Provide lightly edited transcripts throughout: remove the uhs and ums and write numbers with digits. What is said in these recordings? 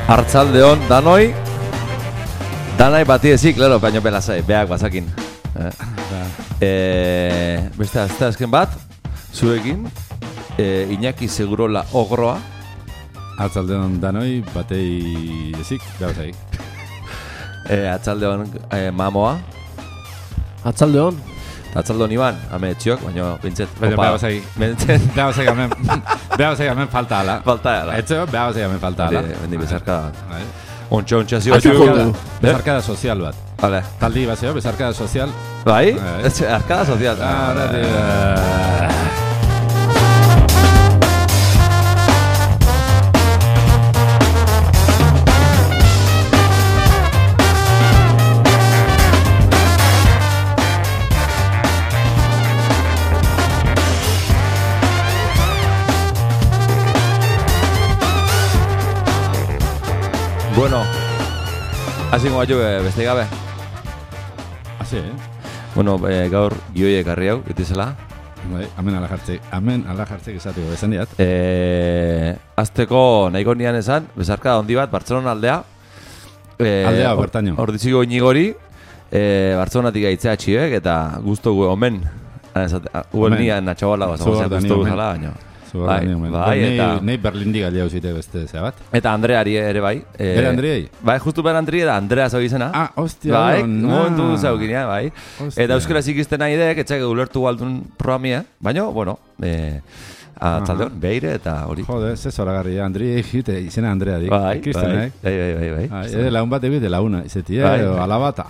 Artzaldeon, danoi. Danai bati ezik, claro, baino belazai, beak bazakin. Beste azken bat, zuekin, Iñaki Segurola Ogroa. Artzaldeon, danoi, batei ezik, beak Artzaldeon, Mamoa. Artzaldeon. Artzaldeon Iban, hame etxiok, baina bintzet. Baina beha bazai hemen falta ala. Falta ala. Etxeo, beha bazai hemen falta ala. Bendi bezarka. Ontsa zio. Bezarkada sozial bat. Vale. Taldi bazeo, bezarkada sozial. Bai? Arkada sozial. Bueno, hasi goa jo beste gabe. Hasi, Bueno, gaur gioiek harri hau, itizela. Bai, amen ala jartzek esateko bezan diat. Azteko nahiko nian esan, bezarka ondi bat, Bartzelona aldea. Aldea, bertaino. Ordiziko inigori, Bartzelonatik aitzea txiek, eta guztu omen. Uel nian atxabala bazagozen guztu guzala, baina. Bai, eta nei Berlindik aldea uzite beste zea bat. Eta Andreari ere bai. Bere Andreei? Bai, justu bere Andrei da Andrea zau izena. Ah, hostia. Bai, momentu zaukinia, bai. Eta euskaraz ikisten nahi dek, etxak ulertu galdun programia, baina, bueno, atzaldeon, beire eta hori. Jode, ze zoragarria, Andrei egite, izena Andrea dik. Bai. Laun bat egite launa, izeti, alabat.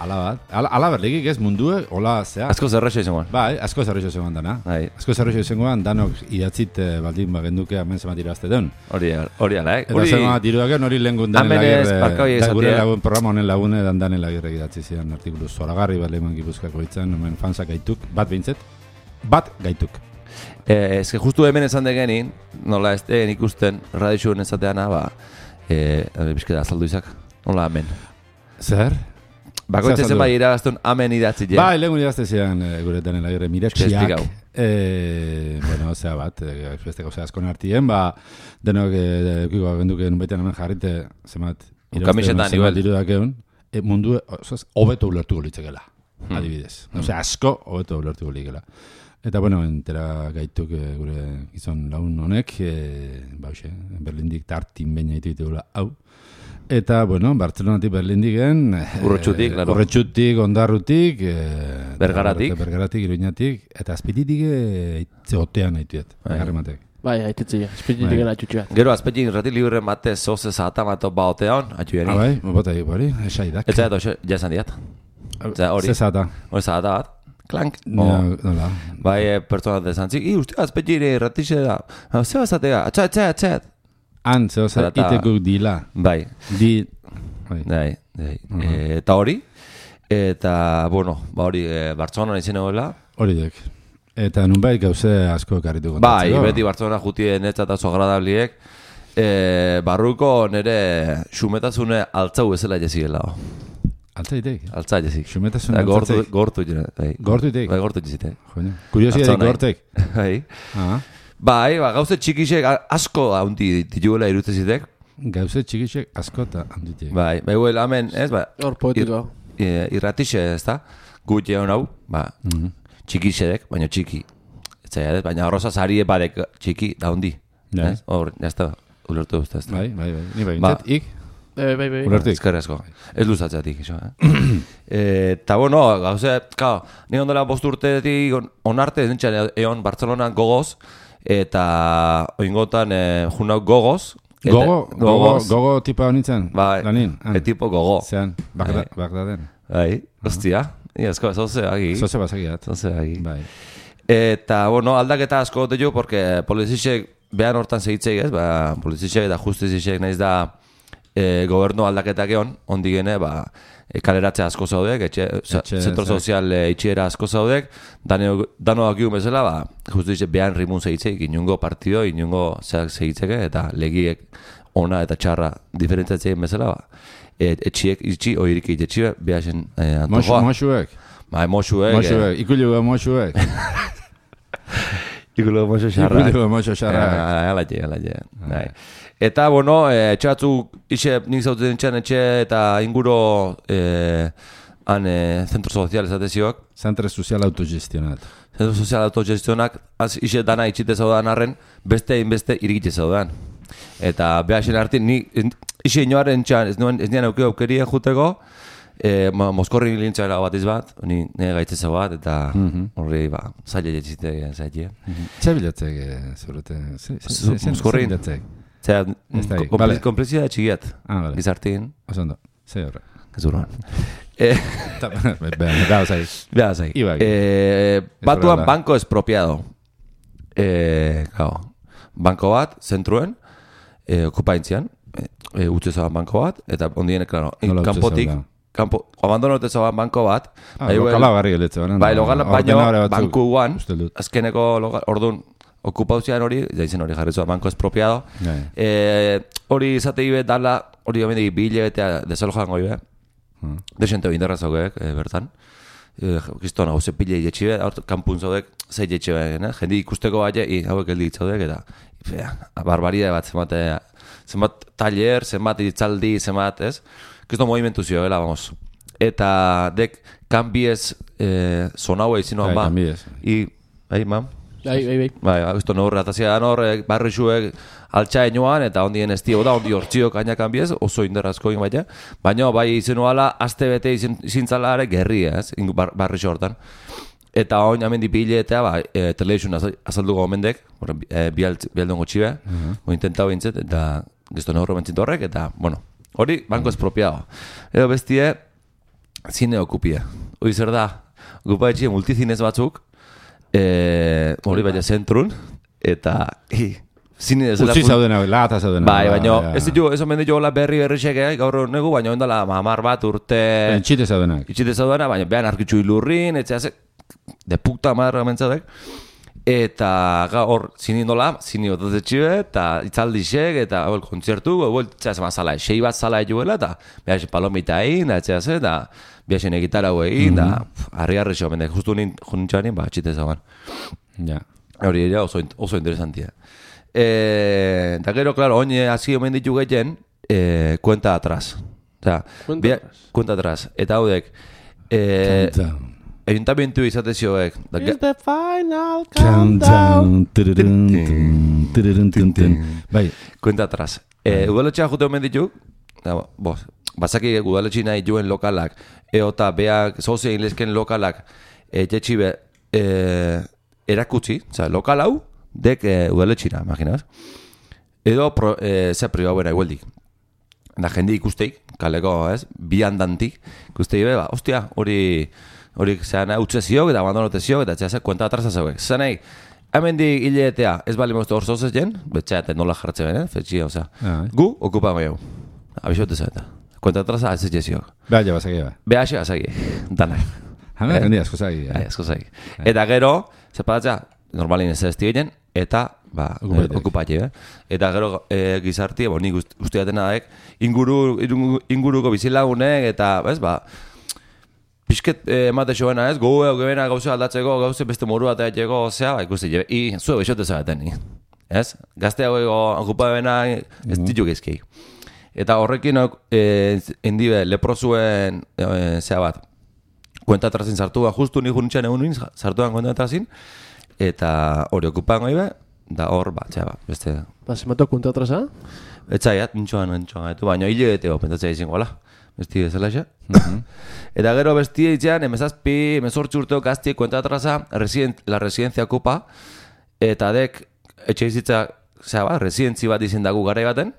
Alaberlikik ez mundue, hola, zea. Asko zerrexo izangoan. Bai, asko zerrexo izangoan dana. Asko zerrexo izangoan, danok idatzit baldin bagenduke hemen zemat irazte duen. Hori ala, Eta zemat irudaken hori lengun danen lagirre, gure lagun programa honen lagune danen lagirre idatzi zidan artikulu zoragarri bat leheman Gipuzkoako itzan, hemen fansak gaituk, bat behintzet, bat gaituk. Ez que justu hemen esan degenin, nola ez den ikusten radixuen ezateana, bizkeda azaldu izak, nola hemen. Zer? Bakoitzen bai iragaztun amen idatzi jen. Bai, lehengun idazte zian gure danen lagirre miretxiak. Bueno, zea bat, besteko zea askon artien, denok eukiko agenduke nunbaitean hemen jarrite, zemat, kamisetan irudakeun, mundu, hobeto ulertuko litzekela, adibidez. Osea, asko hobeto ulertuko litzekela. Eta, bueno, entera gaituk gure gizon laun honek, Berlindik tartin baina ditugula hau. Eta, bueno, Bartzelonatik Berlindiken... Urretxutik, Ondarrutik... Bergaratik, Iruñatik, eta Azpititik itzeotean haituet, garrematek. Bai, haitetzea, Azpititik atxutxeat. Gero, Azpititik irrati libre mate zoze zahata mato baotean, atxueni. Bai, bota hori, esaidak. Eta edo, jasan diat. Ze zahata? Hori zahata bat. Klank. Nola. Bai, pertsona dezantzik. Uste, Azpititik irratixe da. Zeba zatea, atxat. Han, zehose, itekuk dila. Bai. Bai. Eta hori. Eta, bueno, hori, Bartzelona izan egoela. Hori dek. Eta nunbait gauze asko ekarritu Bai, kontatzeko. beti Bartzelona jutien netzat azo agradabliek. Barruko nire xumetazune altzau bezala jeziela. Altzaitek? Altzaitezik. Xumetazune altzaitek? Gortu jene. Gortuitek? Bai, gortu jizite. Kuriosiadik gortek? Bai. Bai, gauze txikisek asko haundi dituela irutezitek. Gauze txikisek asko eta handitek. Bai, huel hemen, ez, hor poetiko. Irratixe, ez da, gutxe hon hau, txikisedek, baina txiki. Baina horroza zari badek txiki da hundi. Hor, jazta, ulertu duzta, ez da. Bai, ni bai, bintzat, ik? Bai. Ulertik. Ezkerrezko. Ez luzatzatik, iso, Eta, bueno, gauze, ni ondela 5 urtetik onarte, nintzen egon Bartzelonan gogoz, eta oingotan junau gogoz. Gogo tipa honintzen? Bai, tipo gogo. Zean, Bagdaden. Bai, hostia. Iazko, zoze agi. Zoze bazagiat. Zoze agi. Bai. Eta, bueno, aldaketa asko gote jo, porque polizisek behan hortan segitzei, ez? Polizisek eta justizisek nahiz da gobernu aldaketak egon, ondi gene, kaleratze asko zaudek, zentro sozial itxiera asko zaudek, dano dakigun bezala, justizisek behan rimun segitzeik, inungo partido, inungo zeak segitzeke, eta legiek ona eta txarra diferentziatzen bezala, etxiek itxi, oirik itxi, behasen antojoa. Moxuek? Bai, moxuek. Ikulu moxuek. Ikulo moxo xarra. Ikulo moxo xarra. Alaie. Eta, bueno, etxe batzuk, nik zauten etxean etxe eta inguro zentro sozial esatezioak. Centro sozial autogestionat. Zentro sozial autogestionak, ixe dana itxite zaudan arren, beste irigitze zaudan. Eta behaxen artin, ixe inoaren txan, ez nian aukeria juteko, Moskorri lintxara bat izbat, nire gaitzeza bat, eta horri, zaila jetxite zaila. Txe bilatzek, zurete? Moskorri? Zera, komplizia da txigiat, gizartin. Osondo, ze horre. Gezuruan. Beha zai. Batuan banko espropiado. Banko bat, zentruen, okupaintzian, utze zaban banko bat, eta ondien, klaro, kanpotik, abandonote zaban banko bat, lokala garri geletze, baino, banku guan, azkeneko, orduan, okupauzian hori, jaizen hori jarri zuen, banko espropiado. Hori izatei bet dala, hori gomendik bihile betea desalojan goi be. Desente hori indarra zaugek, bertan. Giztona, hau zepile jetxibe, kanpun zaudek, zei jetxibe, jendi ikusteko baina, hauek heldik zaudek, eta barbaria bat, zenbat taller, zenbat itzaldi, zenbat, ez? Gizto movimentu zio, vamos. Eta dek, kanbiez, zonaue izinoan ba. Bai, mam? Bai, gizto norre, atazia da norre, barrixuek, altxaen joan, eta ondien ez dio da, ondi hortziok ainak biez, oso inderrazko egin baita. Baina, bai izenuala, aste bete izintzala ere gerria, ez, barrixo hortan. Eta oin amendi biletea, telebizun azalduko gomendek, bialdongo txibe, intentau bintzet, eta gizto norro mentzit horrek, eta, bueno, hori, banko espropiado. Edo bestie, zine okupia. Hori zer da, okupa etxie multizinez batzuk, hori baina zentrun, eta zine ez utzi zaudena, lata zaudena. Bai, baina ez ditu, ez omen ditu hola berri xeke, gaur negu, baina ondala mamar bat urte... Itxite zaudena, baina behan arkitxu ilurrin, etxea de puta madre gamentzatek. Eta hor, zini indola, zini otatzetxibe, eta itzaldixek, eta kontzertu, txea zeman zala, sei bat zala eguela, eta behaxe palomita egin, etxea ze, eta behaxe negitara egin, eta harri xo, mende, justu nintxanin, txite zaban. Hori ere oso interesantia. Eta gero, klaro, oin hasi omen ditu gehien, kuenta atrás. Kuenta atrás. Eta haudek, ayuntamientu izatezioek. It's the final countdown. Bai. Kuenta atrás. Udaletxea jute omen ditu, bazaki udaletxi nahi joen lokalak, eta beak sozia inlezken lokalak, jetxibe erakutsi, lokal hau, dek udaletxina, imaginaz. Edo ze pribauena igualdik. Da jende ikusteik, kaleko, ez, bi handantik, ikusteik, ostia, hori zean utze ziok eta abandonote ziok, eta txea ze kuenta atrasa zauek. Zanei, hemen di hileetea, ez bali moztu hor zozez jen, betxeat nola jartze benen, fetxia, oza. Gu, okupa maiau. Abixote zaeta. Kuenta atrasa, ez ziok. Beha ja bazaki, Beha zagi, danak. Hame, hendi asko zagi. Asko zagi. Eta gero, zepatatzea, normalin ez ez digen, eta okupatxe, Eta gero gizarti, nik usteatena daek, inguruko bizilagunek, eta, ez, pixket emate joena, ez? Goena gauze aldatzeko, gauze beste moru bat egiteko, zea, ikusti, zue bexote zaten, ez? Gazte hau okupabena ez ditu gezkei. Eta horrekin endibe leprozuen, zea bat, kuenta atrazin sartu justu nik junitxan egun sartuan kuenta atrazin, eta hori okupan goi da hor, beste... Zematu kuenta atraza? Etzaiat, nintxoan, baina hile beteo, pentatzea izin gola. Besti bezala xe. Eta gero bestia itxean, emezazpi, emezortzi urteo gaztiek kuenta atraza, la residencia ocupa, eta dek, etxe izitza, residentzi bat izin dagu garai baten,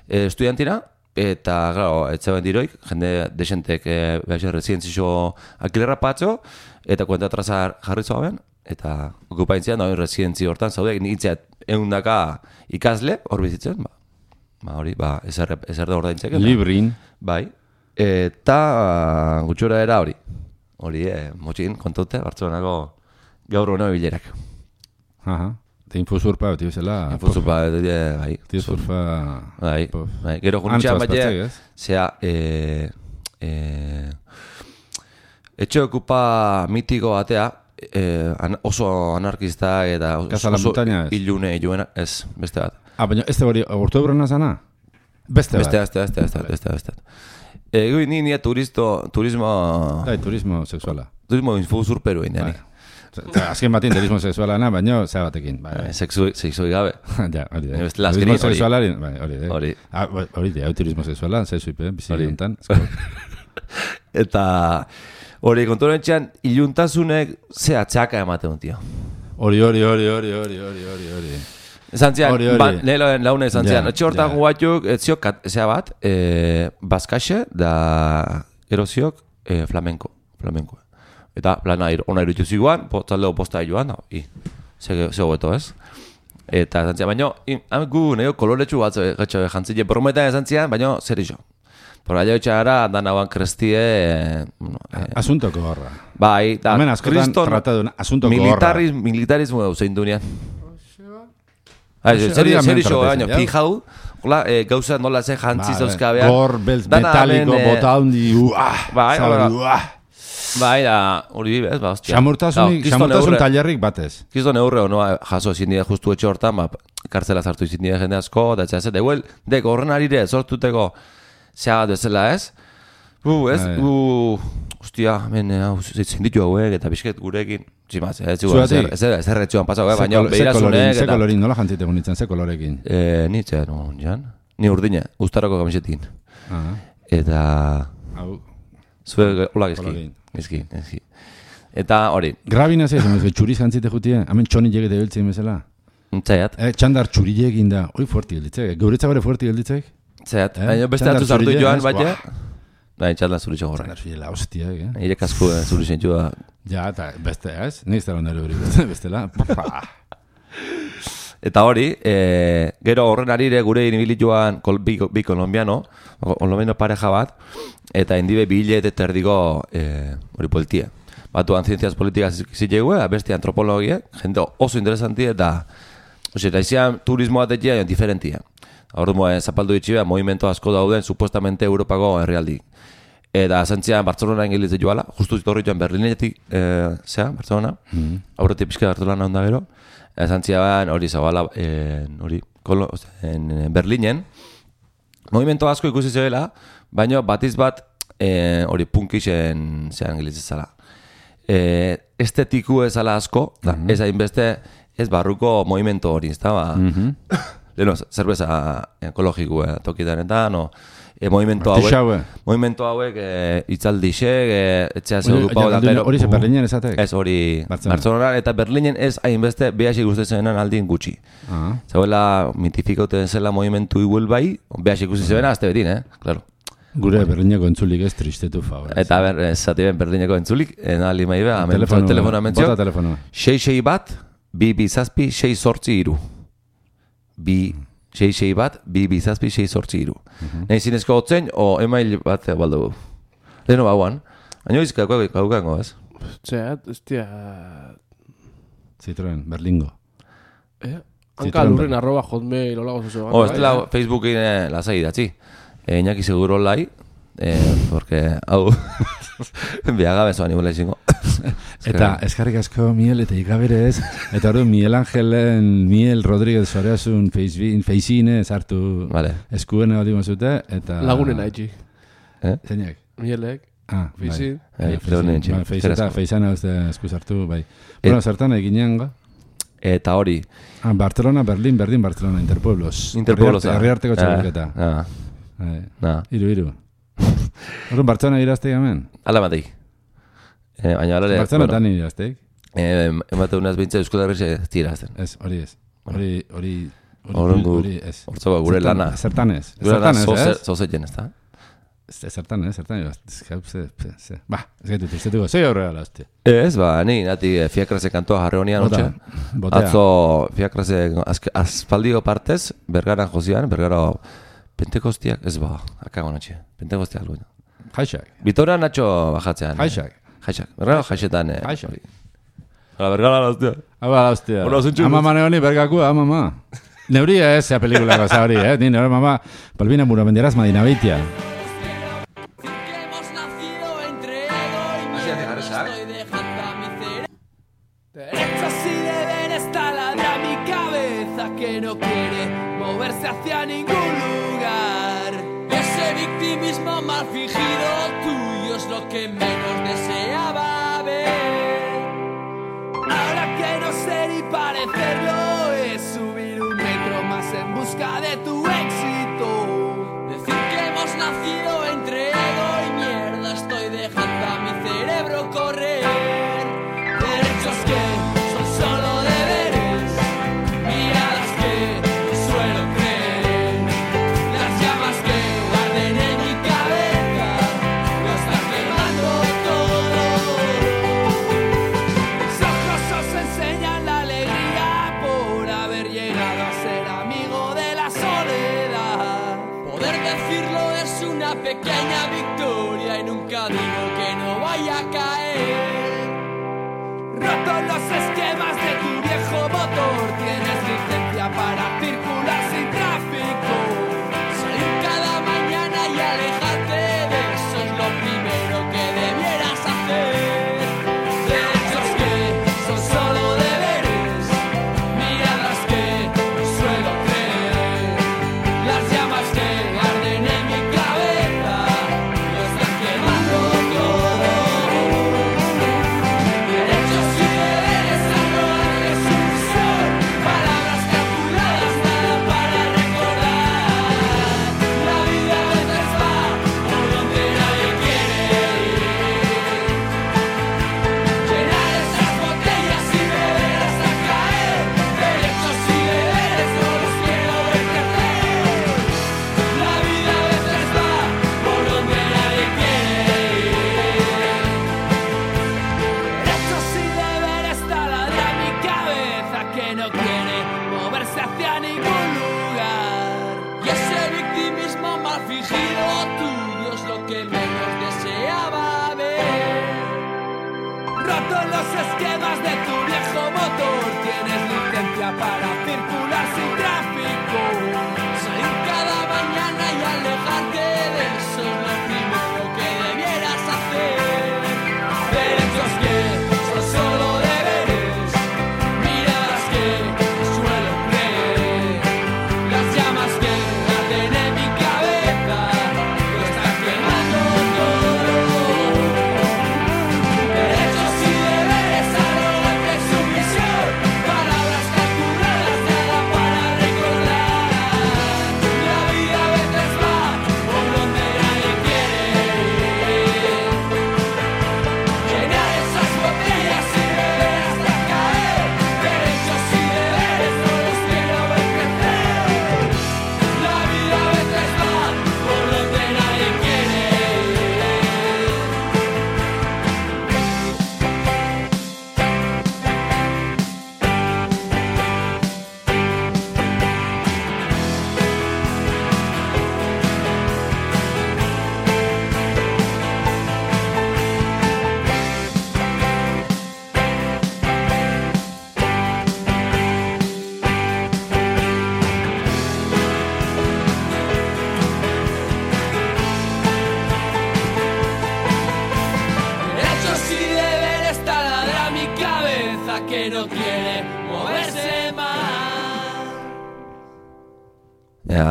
estudiantina, eta, claro, etxaben diroik, jende desentek, residenzixo alkilerra patxo, eta kuenta atraza jarri zoaben, eta okupaintzian, residentzi hortan, zaudek, nintziat eundaka ikasle, hor bizitzen, hori, ezer da ordaintzeke. Librin. Bai. Eta gutxora era hori. Hori, motxin, kontaute, Bartzelonako gaur hona bilerak. Aha. Eta infozurpa, beti bezala... Infozurpa, bai. Infozurpa... Bai. Gero junitxean baina, zea... etxe okupa mitiko batea, oso anarkista eta Casa la oso Montaña ez? ilune joena, ez, beste bat. Baina ez hori, orto ebrona zana? Beste bat. Beste. Ni turismo... Dai, turismo sexuala. Turismo infuzurperu egin, Azken batin turismo sexuala na, baina zea batekin. Sexui gabe. Ja, hori da. Bestela Turismo azkenik sexualari, hori. Hori. Hori da, turismo sexuala, zezuipe, bizi honetan. Eta hori konturen txan, iluntasunek ze atxaka ematen dut, tio. Hori. Zantzian, Hori. neloen laune zantzian. Ja, Etxe hortak guatuk, etzio, zea bat, bazkaxe da eroziok flamenko. Eta plana ona irutu ziguan, taldeo posta joan, ze hobeto ez. Eta zantzian, baina, gu neo koloretsu bat gatxo jantzile prometan zantzian, baina zer iso. Por allá echara dan aguan crestie Asuntoko horra. Bai, da. Hemen askotan tratatu asuntoko horra. Militarismo zein dunean. Zer iso, baina, fijau, hola, gauza nola ze jantzi zauzkabean. Gor, metaliko, bota hundi, Bai, da, hori bibez, ba, hostia. Xamurtasun talerrik batez. Kiston eurre honoa jaso ezin dira justu etxe hortan, kartzela zartu izin dira jende asko, da etxea zete, deko horren arire, sortuteko, zea bat bezala ez? Hostia, zein ditu hauek, eta bizket gurekin, zimaz, ez erretxuan pasau, baina behirazunek. Ze kolorin, nola jantzite bonitzen, ze kolorekin? Nitze, no, jan? Ni urdine, ustarako kamisetin. Eta... Zue, hola gizki. Eta hori. Grabina zeiz, txuriz jantzite jutie, hamen txoni jegete biltzen bezala. Zaiat. Txandar txuri egin da, hori fuerti gelditzek, geuretzak hori fuerti gelditzek? Zaiat, baina beste hartu zartu joan, baina... Baina txandar zuri txon horrein. Txandar zuri la hostia, Irek asko zuri zentxua. Ja, eta beste, ez? Niz da londero hori, bestela. Eta hori, gero horren arire gure inibili joan bi kolombiano pareja bat, eta indibe bilet eta erdiko hori poltia. Batuan zientziaz politikaz zitzegue, beste antropologia, jende oso interesanti eta izan turismo batekia diferentia. Horren zapaldu ditxibea, movimento asko dauden, supuestamente Europako herrialdik. Eta zentzian Bartzelona ingilitze joala, justu zitorri joan Berlinetik, Bartzelona, aurretik pixka Bartzelona onda gero, zantzian hori zabala, Berlinen, movimento asko ikusi zebela, baina batiz bat hori punkixen zean ingilitze zala. Estetiku ezala asko, ez hainbeste ez barruko movimento hori, ez da, leheno, zerbeza ekologiko tokitanetan, movimento hauek itzaldixek, etxea zeudupau da, pero... Hori ze Berlinen ezatek? Ez, hori Bartzelona, eta Berlinen ez hainbeste behasik guztezenan aldin gutxi. Zauela mitifikauten zela movimentu iguel bai, behasik guztezena azte betin, claro. Gure Berlineko entzulik ez tristetu favor. Eta zati ben Berlineko entzulik, nali maibe, telefonoa mentzio. Bota telefonoa. 6 bat, 2 zazpi, 6 sortzi iru. 6 bat, 2 zazpi, 6 sortzi iru. Nahi zinezko hotzen, o email bat baldugu. Leheno bauan. Baina izka kaukango, ez? Txeat, estia... Citroen, Berlingo. Hanka lurren @hotmail, hola gozoso. Estela Facebookin lasai datzi. Iñaki seguro lai, porque hau biagabe zoan igual ezingo. Eta eskarrik asko Miel eta ikabere ez, eta hori Miel Rodríguez Soreasun feizine sartu eskuen hori mazute, eta... Lagunen haitxi. Zeinak? Mielek, feizin. Feizana esku sartu, bai. Bueno, zertan eginean ga? Eta hori. Barcelona, Berlin, Barcelona, Interpueblos. Herriarteko txabuketa. Iru. Horren Bartzelona irazteik hemen? Ala bateik. Bartzelona tan irazteik? Emate unaz bintza Euskal Herria ez tirazten. Ez, hori ez. Hori ez. Hortzo gure lana. Zertan ez. Gure lana zozetzen ez da. Zertan ez. Ba, ez gaitu tristetuko. Zei horregala, hostia. Ez, ni nati Fiakrase kantoa jarre honian otxe. Atzo Fiakrase aspaldio partez, Bergaran jozian, Bergaro Pentekostiak, ez akago natxe. Pentekostiak luena. Jaixak. Bitora Nacho bajatzean. Jaixak. Bergaro jaixetan. Jaixak. Bergara la hostia. La hostia. Ama mane honi bergaku, ama. Neuria ez, pelikulako za hori, Ni nore mama, Palbina Muramenderaz Madina Beitia. quiere moverse hacia ningún lugar. Ese victimismo mal fingido tuyo es lo que menos deseaba ver. Ahora que no sé ni parecerlo, es subir un metro más en busca de tu éxito. Decir que hemos nacido entre ego y mierda, estoy dejando a mi cerebro correr. Derechos que son solo deberes, miradas que suelo creer, las llamas que arden en mi cabeza, lo están quemando todo. Mis ojos os enseñan la alegría por haber llegado a ser amigo de la soledad. Poder decirlo es una pequeña victoria y nunca digo que no vaya a caer. Roto los esquemas de tu viejo motor, tienes licencia para circular sin tráfico. Salir cada mañana y alejarte de eso es lo primero que debieras hacer. Derechos que son solo deberes, miradas que suelo creer, las llamas que arden en mi cabeza, lo están quemando todo. Derechos y deberes, algo de sumisión, palabras calculadas, nada para recordar. La vida a veces va por donde nadie quiere ir. Llenar esas botellas y beber hasta caer. Derechos y deberes, no los quiero ver crecer. La vida a veces va por donde nadie quiere ir. Derechos y deberes taladra mi cabeza que no quiere moverse hacia ningún lugar. Y ese victimismo mal fingido tuyo es lo que menos deseaba ver. Roto los esquemas de tu viejo motor, tienes licencia para circular sin tráfico. Salir cada mañana y alejarte de eso es lo primero que debieras hacer. Derechos que son solo deberes, miradas que suelo creer, las llamas que arden en mi cabeza, lo están quemando todo. Derechos y deberes, algo de sumisión, palabras calculadas, nada para recordar. La vida a veces va por donde nadie quiere ir. Llenar esas botellas y beber hasta caer. Derechos y deberes, no los quiero ver crecer. La vida a veces va por donde nadie quiere ir. Derechos y deberes taladra mi cabeza que no quiere moverse más.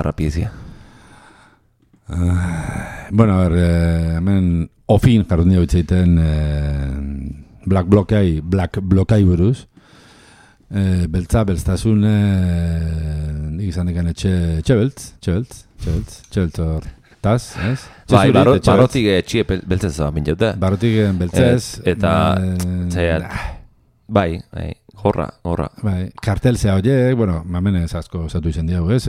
Rapidizia. Bueno, a ver, hemen ofin jarrun dira bitzaiten Black Blokai buruz. Beltztasun nik izan dekan txebeltz hortaz, ez? Bai, barrotik txie beltzez zaba mintaute. Barrotik beltzez. Eta, zaiat, bai, gorra. Bai, kartel zea horiek, bueno, mamene asko osatu izan diago, ez?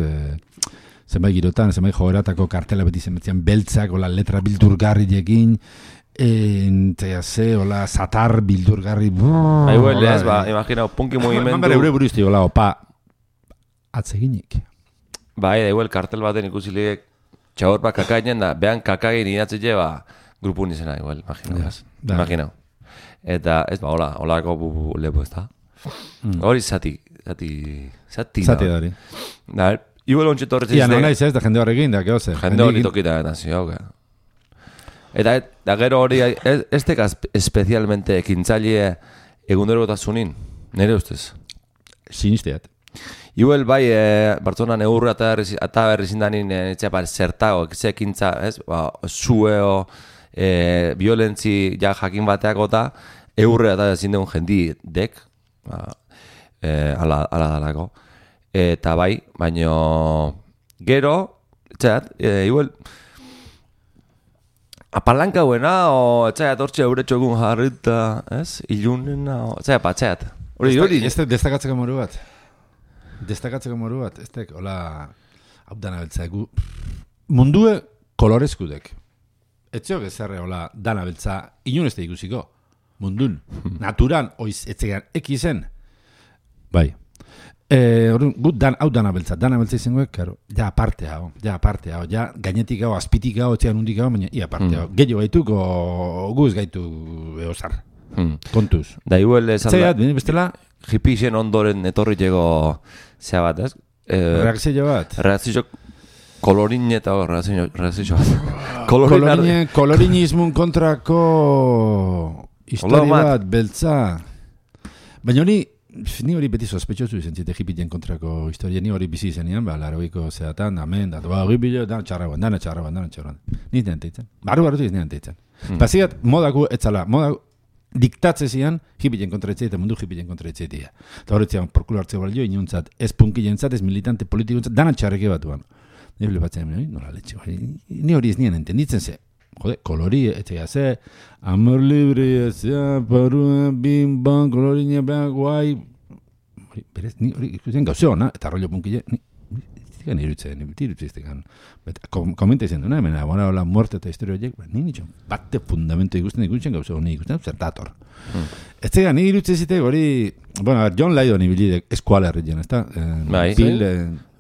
Zenbait girotan, zenbait joeratako kartela beti zenbetzian beltzak, hola letra bildurgarriekin, hola satar bildurgarri. Bai, ez, imagina, punki movimentu. Mamare eure burizti, hola, opa, atzeginik. Bai, da igual, kartel baten ikusileek txaur bat kakainen da, behan kakagin idatzi lleva grupun izena, igual, imagina. Eta, ez ba, holako lepo ez da. Hori zati dori. Da, igual ontsi torretz izte. Ia, no naiz ez, da jende horrekin, da, keoze. Jende hori tokita, eta zio, Eta gero hori, ez tekaz especialmente ekintzaile egundero botasunin, nire ustez. Sinisteat. Igual bai, Bartzonan eurra eta berrizindanin zertago, ekintza, ez? Zueo, violentzi ja jakin bateako eta eurre eta ezin dugun jendi dek, ala dalako. Eta bai, baino gero, igual, apalanka buena, o etxaiat hortxe euretxo egun jarrita, ez? Ilunena, etxaiat. Hori. Destakatzeko moru bat. Ez tek, hola, hau dana beltza egu. Mundue kolorezkudek. Etxeo gezerre, hola, dana beltza, inun ez da ikusiko. Mundun. Naturan, oiz, etxegan, ekizen. Bai. Gut, hau dana beltza izangoek, karo, ja aparte hau, ja gainetik hau, azpitik hau, etxean hundik hau, baina ia aparte hau. Gehiago gaituk, o guz gaitu eosar. Kontuz. Da igual Etxeat, bestela, hipixen ondoren etorriteko zea bat, ez? Reakzio bat. Reakzio kolorin eta reakzio bat. Kolorinismun kontrako histori bat, beltza. Baina ni hori beti sospetxozu izan zite hipien kontrako historia, ni hori bizi zenean, laroiko zeatan, amen, hori bilo, dana txarraban. Niz nean teitzen. Barru iz nean teitzen. Bazigat, modaku etzala, diktatze zian, hipien kontraetzea eta mundu hipien kontraetzea. Eta horretzean, porkulo hartzea balio, inuntzat, ez punkilentzat, ez militante politikontzat, dana txarreke batuan. Ni hori batzen, nola letxe, ni hori ez nien entenditzen ze. Jode, kolori, etxea ze, amor libre, zea, parua, bim, ban, kolorine, blan, guai. Berez, ni hori ikusten gauzeo, eta rollo punkile, ni irutzen. Komenta izan duena, hemen, hola, muerte eta historia horiek, ni nitxon, bate fundamento ikusten gauzeo, ni ikusten zertator. Ez zega, ni irutzen zitek hori, bueno, John Lydon ibilidek eskualerritzen, ez da?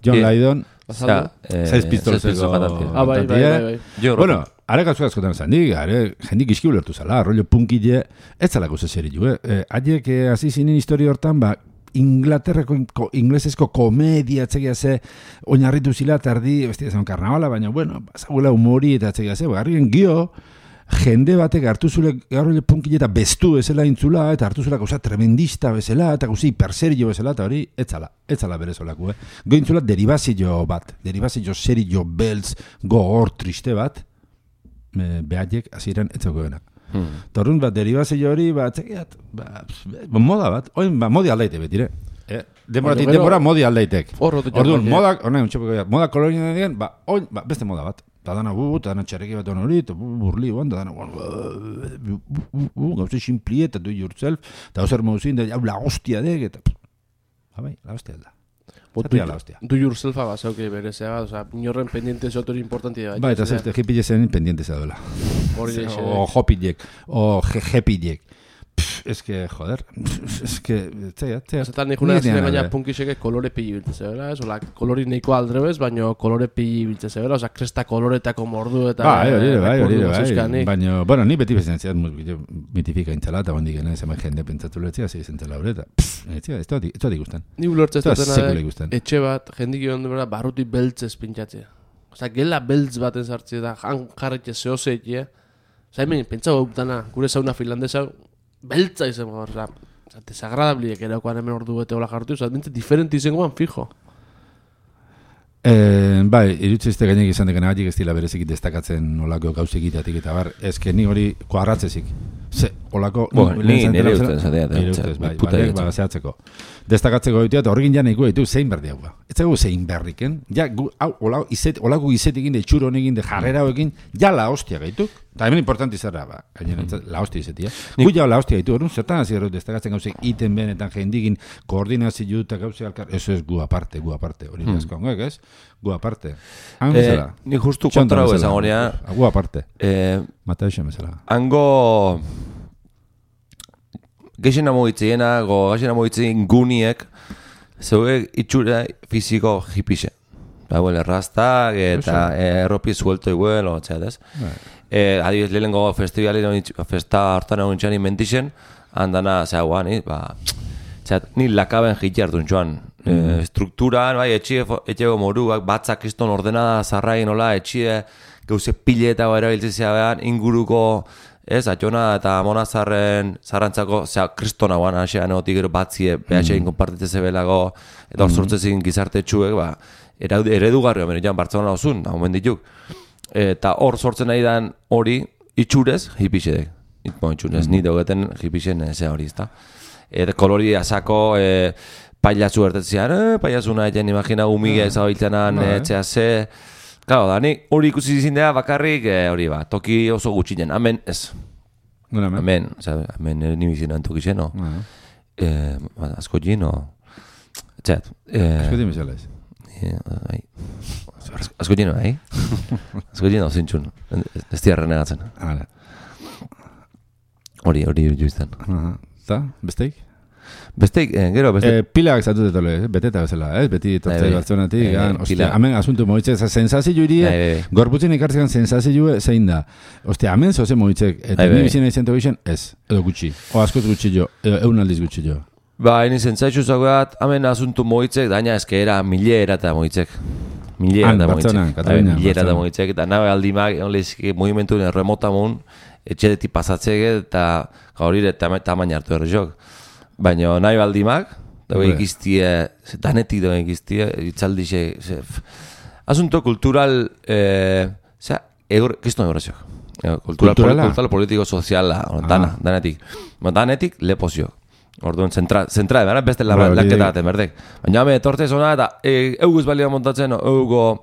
John Lydon, 6 pistolseko Bai. Bueno, are gauzu askotan zan, jendik iski ulertu zala, rollo punkile, ez zalako zeseri ju, haiek hasi zinen historia hortan, Inglaterrako inglesezko komedia atzegia ze oinarritu zila tardi, bestia zen karnavala, baina bueno, zaguela humori eta atzegia ze, garrien gio, jende batek hartu zule garrole punkile eta bestu bezala intzula, eta hartu zula gauza tremendista bezala, eta gauza hiperserio bezala, eta hori, etzala berezolako, Gointzula deribazio bat, deribazio serio beltz, gogor, triste bat, behaiek hasieran etzako denak. Torrun bat deribazio hori txekiat moda bat, oin modi aldaite betire demoratik denbora modi aldaitek orduan moda kolorien dian oin beste moda bat eta dana dana txarreki bat hori burli dana gauze simpli eta do yourself eta ozer mauzin da la hostia dek eta la hostia da Do yourself abasauke berezea, inorren pendiente zotori importanti da. Eta zeste, hipile zen pendiente zadoela. O hopilek, o jepilek. Es que, joder, es que, tzea. Zetan nikuna zine gaina punkiseke kolore pili biltze zebela, ez? Ola, kolori neiko aldrebez, baina kolore pili biltze zebela, oza, kresta koloretako mordu eta... Bai, baina, bueno, ni beti bezen zean mitifika intzala, eta bondik gena zema jende pentsatu letzea, zeizen zela horreta. Ez da ikusten. Ni ulertzez dutena, etxe bat, jendik joan dubera, barruti beltzez pintxatzea. Oza, gela beltz baten sartzea da, jarretxe zehozeitea. Oza, hemen, pentsa dana, gure zauna finlandesa, beltza izan gaur, desagradabliek erakoan hemen ordu bete hola jartu, bintzen diferente izango ban fijo. Bai, irutzezte gainek izan dekena gaitik ez dila berezik destakatzen olako gauzek itatik eta bar, ezke ni hori koarratzezik. Ze, olako... Nire ustez, bai, zehatzeko. Destakatzeko ditu eta horrekin janeiko ditu zein berdi hau. Ez dago zein berriken, ja, olako izetekin, de txuro honekin, de jarrera hoekin, ja la hostia gaituk. Eta hemen importanti zerra, la hostia izetia. Gu ja la hostia gaitu, horren zertan hasi errut destakatzen gauzek iten benetan jendikin koordinazio eta gauzek alkar, eso es gu aparte, hori askoangoek, ez? Gu aparte. Ni justu kontra hau esan horia. Gu aparte. Mateo xo mesela. Hango... Geixena mogitzen guniek zeuek itxura fiziko jipixe. Rastak eta erropi suelto igual, otxeatez. Adibidez, lehenengo festa hartan egon txan inventixen, handana, zea guan, ni lakaben jitxe hartun txuan. Strukturan, etxego moruak, batzak kriston ordenada zarrain, etxie, gauze pile eta erabiltzea behan, inguruko ez, Atxona eta Monazarren zarrantzako, kristona guan, hasean egotik gero batzie, behatxein konpartitze zebelago, eta hor sortzezin gizarte txuek, ba, eredugarri omen, jan, Bartzelona osun, omen dituk. Eta hor sortzen nahi dan hori, itxurez, hipixedek. Itxurez, nire hogeten hipixen ze hori, ezta. Eta kolori asako, pailatzu ertetzean, pailatzuna eten imagina umige ezabiltzenan etxea ze. Claro, da, ni hori ikusi zindea bakarrik hori ba, toki oso gutxinen, amen ez. Amen, amen nimizinan toki zeno. Asko gino. Txat. Asko gino bezala ez. Asko gino, Asko gino zintxun. Ez tiarra negatzen. Hori juizten. Eta, besteik? Besteik, gero, besteik. Pilak zatu detole, beteta bezala, beti tortzei Bartzelonatik. Ostia, hemen asuntu moitzek, sensazio irie, gorputzen ikartzekan sensazio zein da. Ostia, hemen zoze moitzek, eta ni bizina izan tegizien, ez, edo gutxi. O askoz gutxi jo, egun aldiz gutxi jo. Ba, hini zentzaizu zagoat, hemen asuntu moitzek, daina ezkera milera eta moitzek. Milera eta moitzek, eta nabe aldimak, onlezki, movimentu remotamun, etxedetik pasatzege, eta gaurire tamaina hartu errezok. Baina nahi baldimak, dago ikiztie, danetik dago ikiztie, itzaldixe, asunto kultural, kiston egorezio. Kultural politiko soziala, danetik lepozio. Orduan, zentra edan, beste laketa baten berdek. Baina hame etortez hona eta euguz balia montatzen, eugo,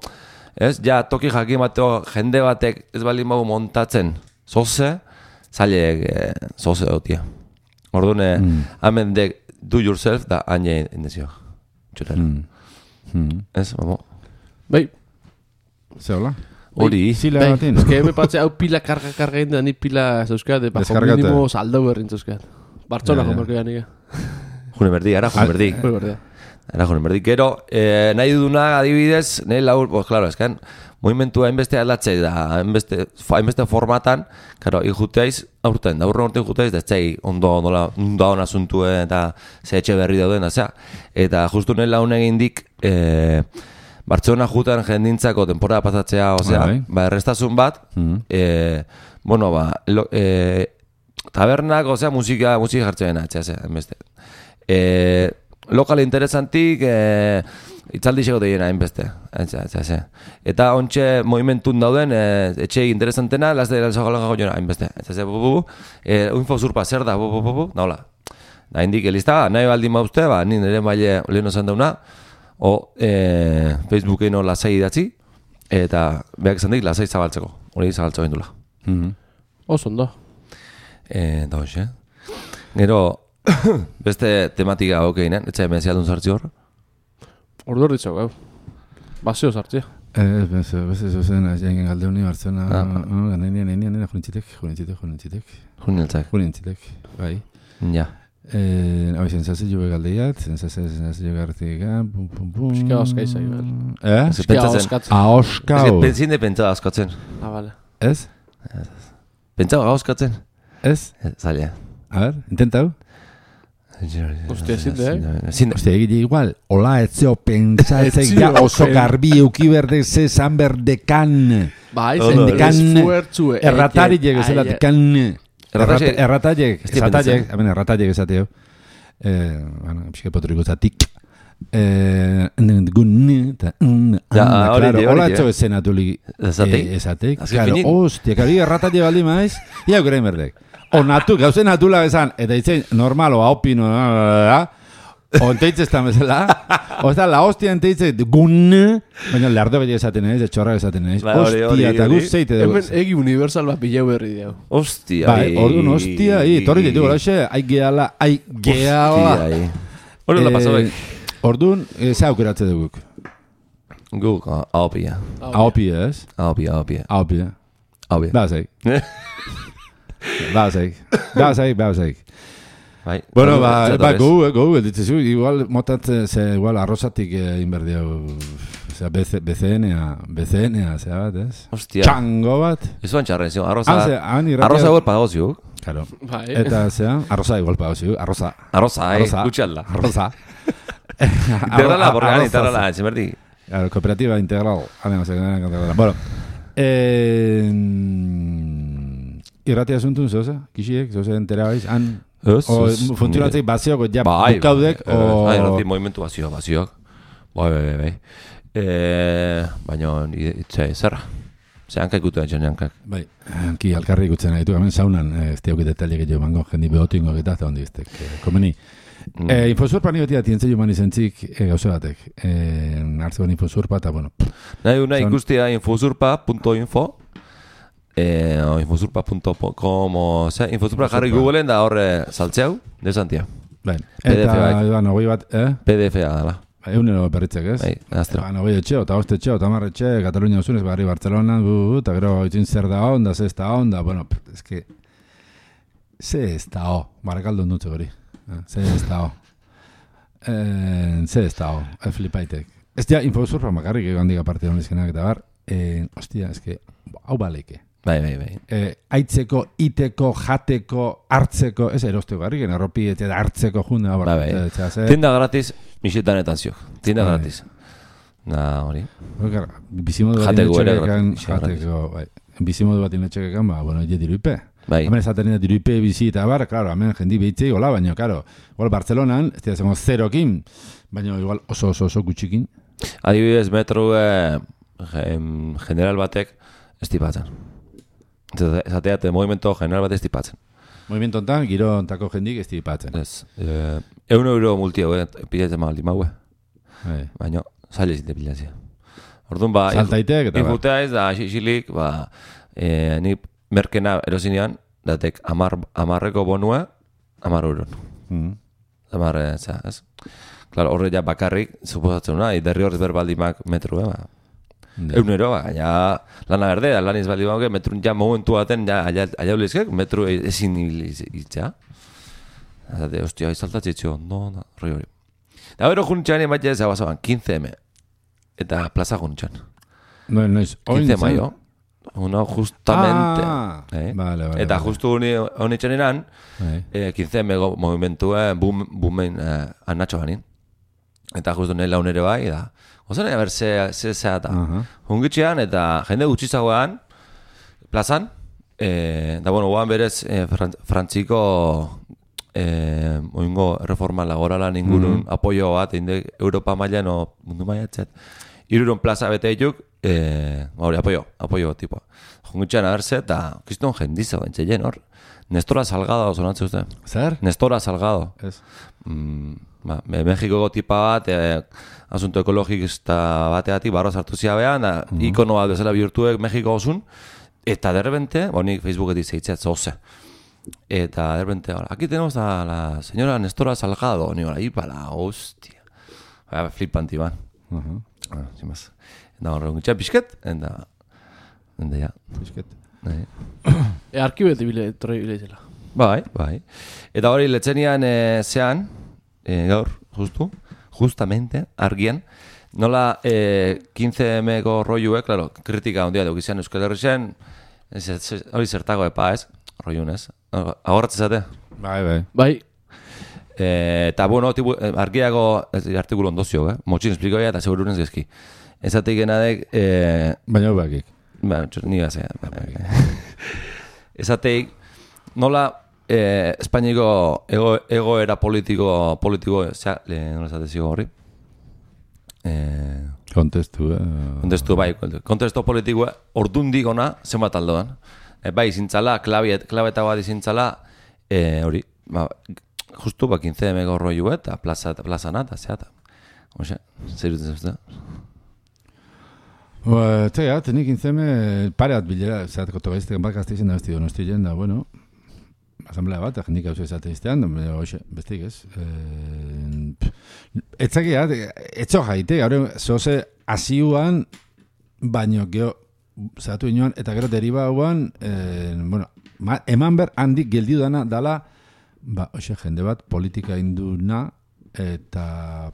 ez, ja, toki jakin bateo, jende batek ez bali magu montatzen, zoze, zailek, zoze dotia. Orduan, hamen dek do yourself da haine indezio. Txuter. Ez, bamo. Bai. Ze hola? Hori. Zila batin. Ez que me patze hau pila karga egin da ni pila zeuskat, bajo mínimo saldau berrin zeuskat. Bartzola jomarko nik. June berdi, ara june berdi. Ara june berdi. Gero, nahi duduna adibidez, nahi laur, pues claro, eskan, movimentua hainbeste aldatzei da, hainbeste formatan, karo, ikuteiz, aurten, da urren urten ikuteiz, da etzei ondo hona asuntue eta ze etxe berri dauden, da eta justu nahi laun egin dik, Bartzelona jutan jendintzako temporada pasatzea, osea, ba, errestazun bat, bueno, ba, tabernak, osea, musika jartzen atxea, hainbeste. Lokal interesantik, itzaldixeko deiena hainbeste. Eta ontxe movimentun dauden, etxe interesantena, lazte dira zagolan jona hainbeste. Info zurpa zer da, nahola. Da indik elizta, nahi baldin mauzte, ba, nire maile leheno zen dauna, o Facebookeno lasai idatzi, eta behak izan dik lasai zabaltzeko. Hori zabaltzo gendula. Oso ondo. Da hoxe. Gero, beste tematika okeinen, etxe hemen zialdun sartzi hor? Ordu hor ditzau, gau. Basio sartzia. Beste zuzen, jengen galde honi Bartzena, nena, junintzitek, bai. Ja. Hau sensazio begaldeiat, sensazio gartik, pum. Piskia oska izai, bel. Piskia oskatzen. Oskau. Ezin de pentsa oskatzen. Bale. Ez? Pentsa oskatzen? Ez? Zaila. A ver, intentau. Ostia, zinde, Ostia, egite igual, hola, etzeo pentsatzek ja oso garbi eukiberde ze zan berdekan. Ba, izan esfuertzue. Erratari egezelatekan. Errataiek esateo. Bueno, pixka potriko zatik. Hola, etxo esenatulik esatek. Ostia, kari errataile baldi maiz, ia gure merdek. Onatu, gauzen natula bezan, eta itzen normalo, haupino, onteitz ez da bezala, oza, la hostia enteitz, baina lehardo beti esaten ez, etxorra esaten ez, hostia, eta guzteite dugu. Hemen egi universal bat bilau berri diau. Hostia, orduan, hostia, torri ditu, ai gehala. Hori la pasabek. Orduan, ze aukeratze duguk? Guk, haupia. Haupia, ez? Haupia. Bazeik. Bueno, gogu, ditzezu, igual motatzen, igual arrozatik inberdiau, BCNa, zea bat, ez? Hostia. Txango bat. Izuan txarren, zio, arroza igual pagozio. Claro. Eta, zea, arroza igual pagozio, arroza, gutxalda. Arroza. Integrala, borrean, integrala, etxemerdi. Claro, cooperativa integral. Bueno, irratia zuntun zoze, kixiek, zoze entera baiz, han... Funtzionatzei baziok, ja, bukaudek, o... Irrati movimentu baziok. Bai. Baina, zerra. Ze hankak gutu etxen, hankak. Bai, hanki alkarri gutzen nahi du, hemen saunan, ez teok detalek jo mango, jendi behotingo eta ondi biztek, komeni. Infosurpa ni beti atientzei human izentzik gauze batek. Hartzean infosurpa eta, bueno... Nahi ikustia infosurpa.info infosurpa.com Infosurpa jarri Googleen da horre saltzeau, desantia. Eta, nogoi bat, PDF-a dela. Egunero berritzek, ez? Bai, aztero. Nogoi etxe, eta hoste etxe, eta marre etxe, Katalunia osunez, barri Barcelona, eta gero itzin zer da onda, ze ez da onda, bueno, ez que... Ze ez da ho, barakaldo dutze gori. Ze ez da ho. Ze ez da ho, flipaitek. Ez dia, infosurpa makarrik egon diga parte honezkenak eta bar, hostia, ez que, hau baleike. Bai. Aitzeko, iteko, jateko, hartzeko, ez erosteko garriken, arropi eta hartzeko junde. Bai. Tienda gratis, mixetanetan ziok. Tienda gratis. Hori. Bizimodu bat inetxekekan, bizimodu bat inetxekekan, bueno, je diruipe. Bai. Hemen esaten dira diruipe bizi eta bar, claro, hemen jendi behitzei, hola, baina, claro, igual Barcelonan, ez dira zengo zerokin, baina igual oso gutxikin. Adibidez, metro general batek estipatzen. Esateat, movimento general bat estipatzen. Movimento ontan, giro ontako jendik estipatzen. Ez. €1 multio, pilatzen maldi maue. Baina, zaila zinte pilatzea. Orduan, saltaitek eta infutea ez da, xilik, ni merkena erosinean, datek 10 bonua, €10. 10, ez? Claro, horre ja bakarrik, suposatzen una, derri horrez berbaldimak metru, €1, ja, lana berde, lan izbaldi bauke, metrun ja momentu baten, ja, aiaulizkek, metru ezin hiltzea. Zate, hostia, izaltatzitxo, no, roi hori. Da bero juntxean emaitxe ez abazaban, 15M. Eta plaza juntxean. Noiz, 15 maio. Uno justamente. Vale. Eta justu honi txaninan, 15M movimentue bumen anatxo banin. Eta justu nahi launere bai, da. Ozen, a ber, ze eta. Hungitxean, eta jende gutxizagoan, plazan, da, bueno, guan berez, frantziko oingo reforma laboralan ingurun apoio bat, Europa mailan o mundu maiatzet. Iruron plaza bete dituk, hori, apoio tipoa. Jungitxean abertze, eta kiston jendizo, entzeien hor. Nestora Salgado, zonatze uste. Zer? Nestora Salgado. Ez. Mexikoko tipa bat, asunto ekologista bateatik barra sartu ziabean, ikono bat bezala bihurtuek Mexiko osun, eta derrepente, nik Facebooketik zeitzat zoze. Eta derrepente, aquí tenemos a la señora Nestora Salgado, ahí para, hostia. Flipanti ban. Sin más. Eta horregun gitxea pixket, eta ja. Pixket. Arkibet bilezela. Bai. Eta hori letzenian zean, gaur, justamente, argian, nola 15M-ko roiue, claro, kritika ondia duk izan Euskal Herrixen, hori zertago epa ez, roiun ez, agorratzezate? Bai. Eta, bueno, argiago artikulu ondozio, motxin esplikoia eta segurunez gezki. Ezatik genadek... Baina bakik. Ni gazea. Ezatik, nola Espainiko egoera politiko, nola esateziko horri? Kontestu, bai. Kontestu politikoa ordundik ona zenbat aldoan. Bai, izintzala, klabeta bat izintzala, hori, justu 15M roiu eta plazana eta zeata. Oxe, zer dutzen zuzte? Tega, tenik 15M pareat bilera, zeat kotogaiztekan bat gazteizen da besti donostilen da, bueno, asamblea bat, jendik hau zezate iztean, hoxe, bestik ez. Etzakia, etxo jaite, gaur zoze asiuan, baino geho, zehatu inoan, eta gero deriba hauan, bueno, eman ber handik geldiu dala, hoxe, jende bat, politika induna, eta,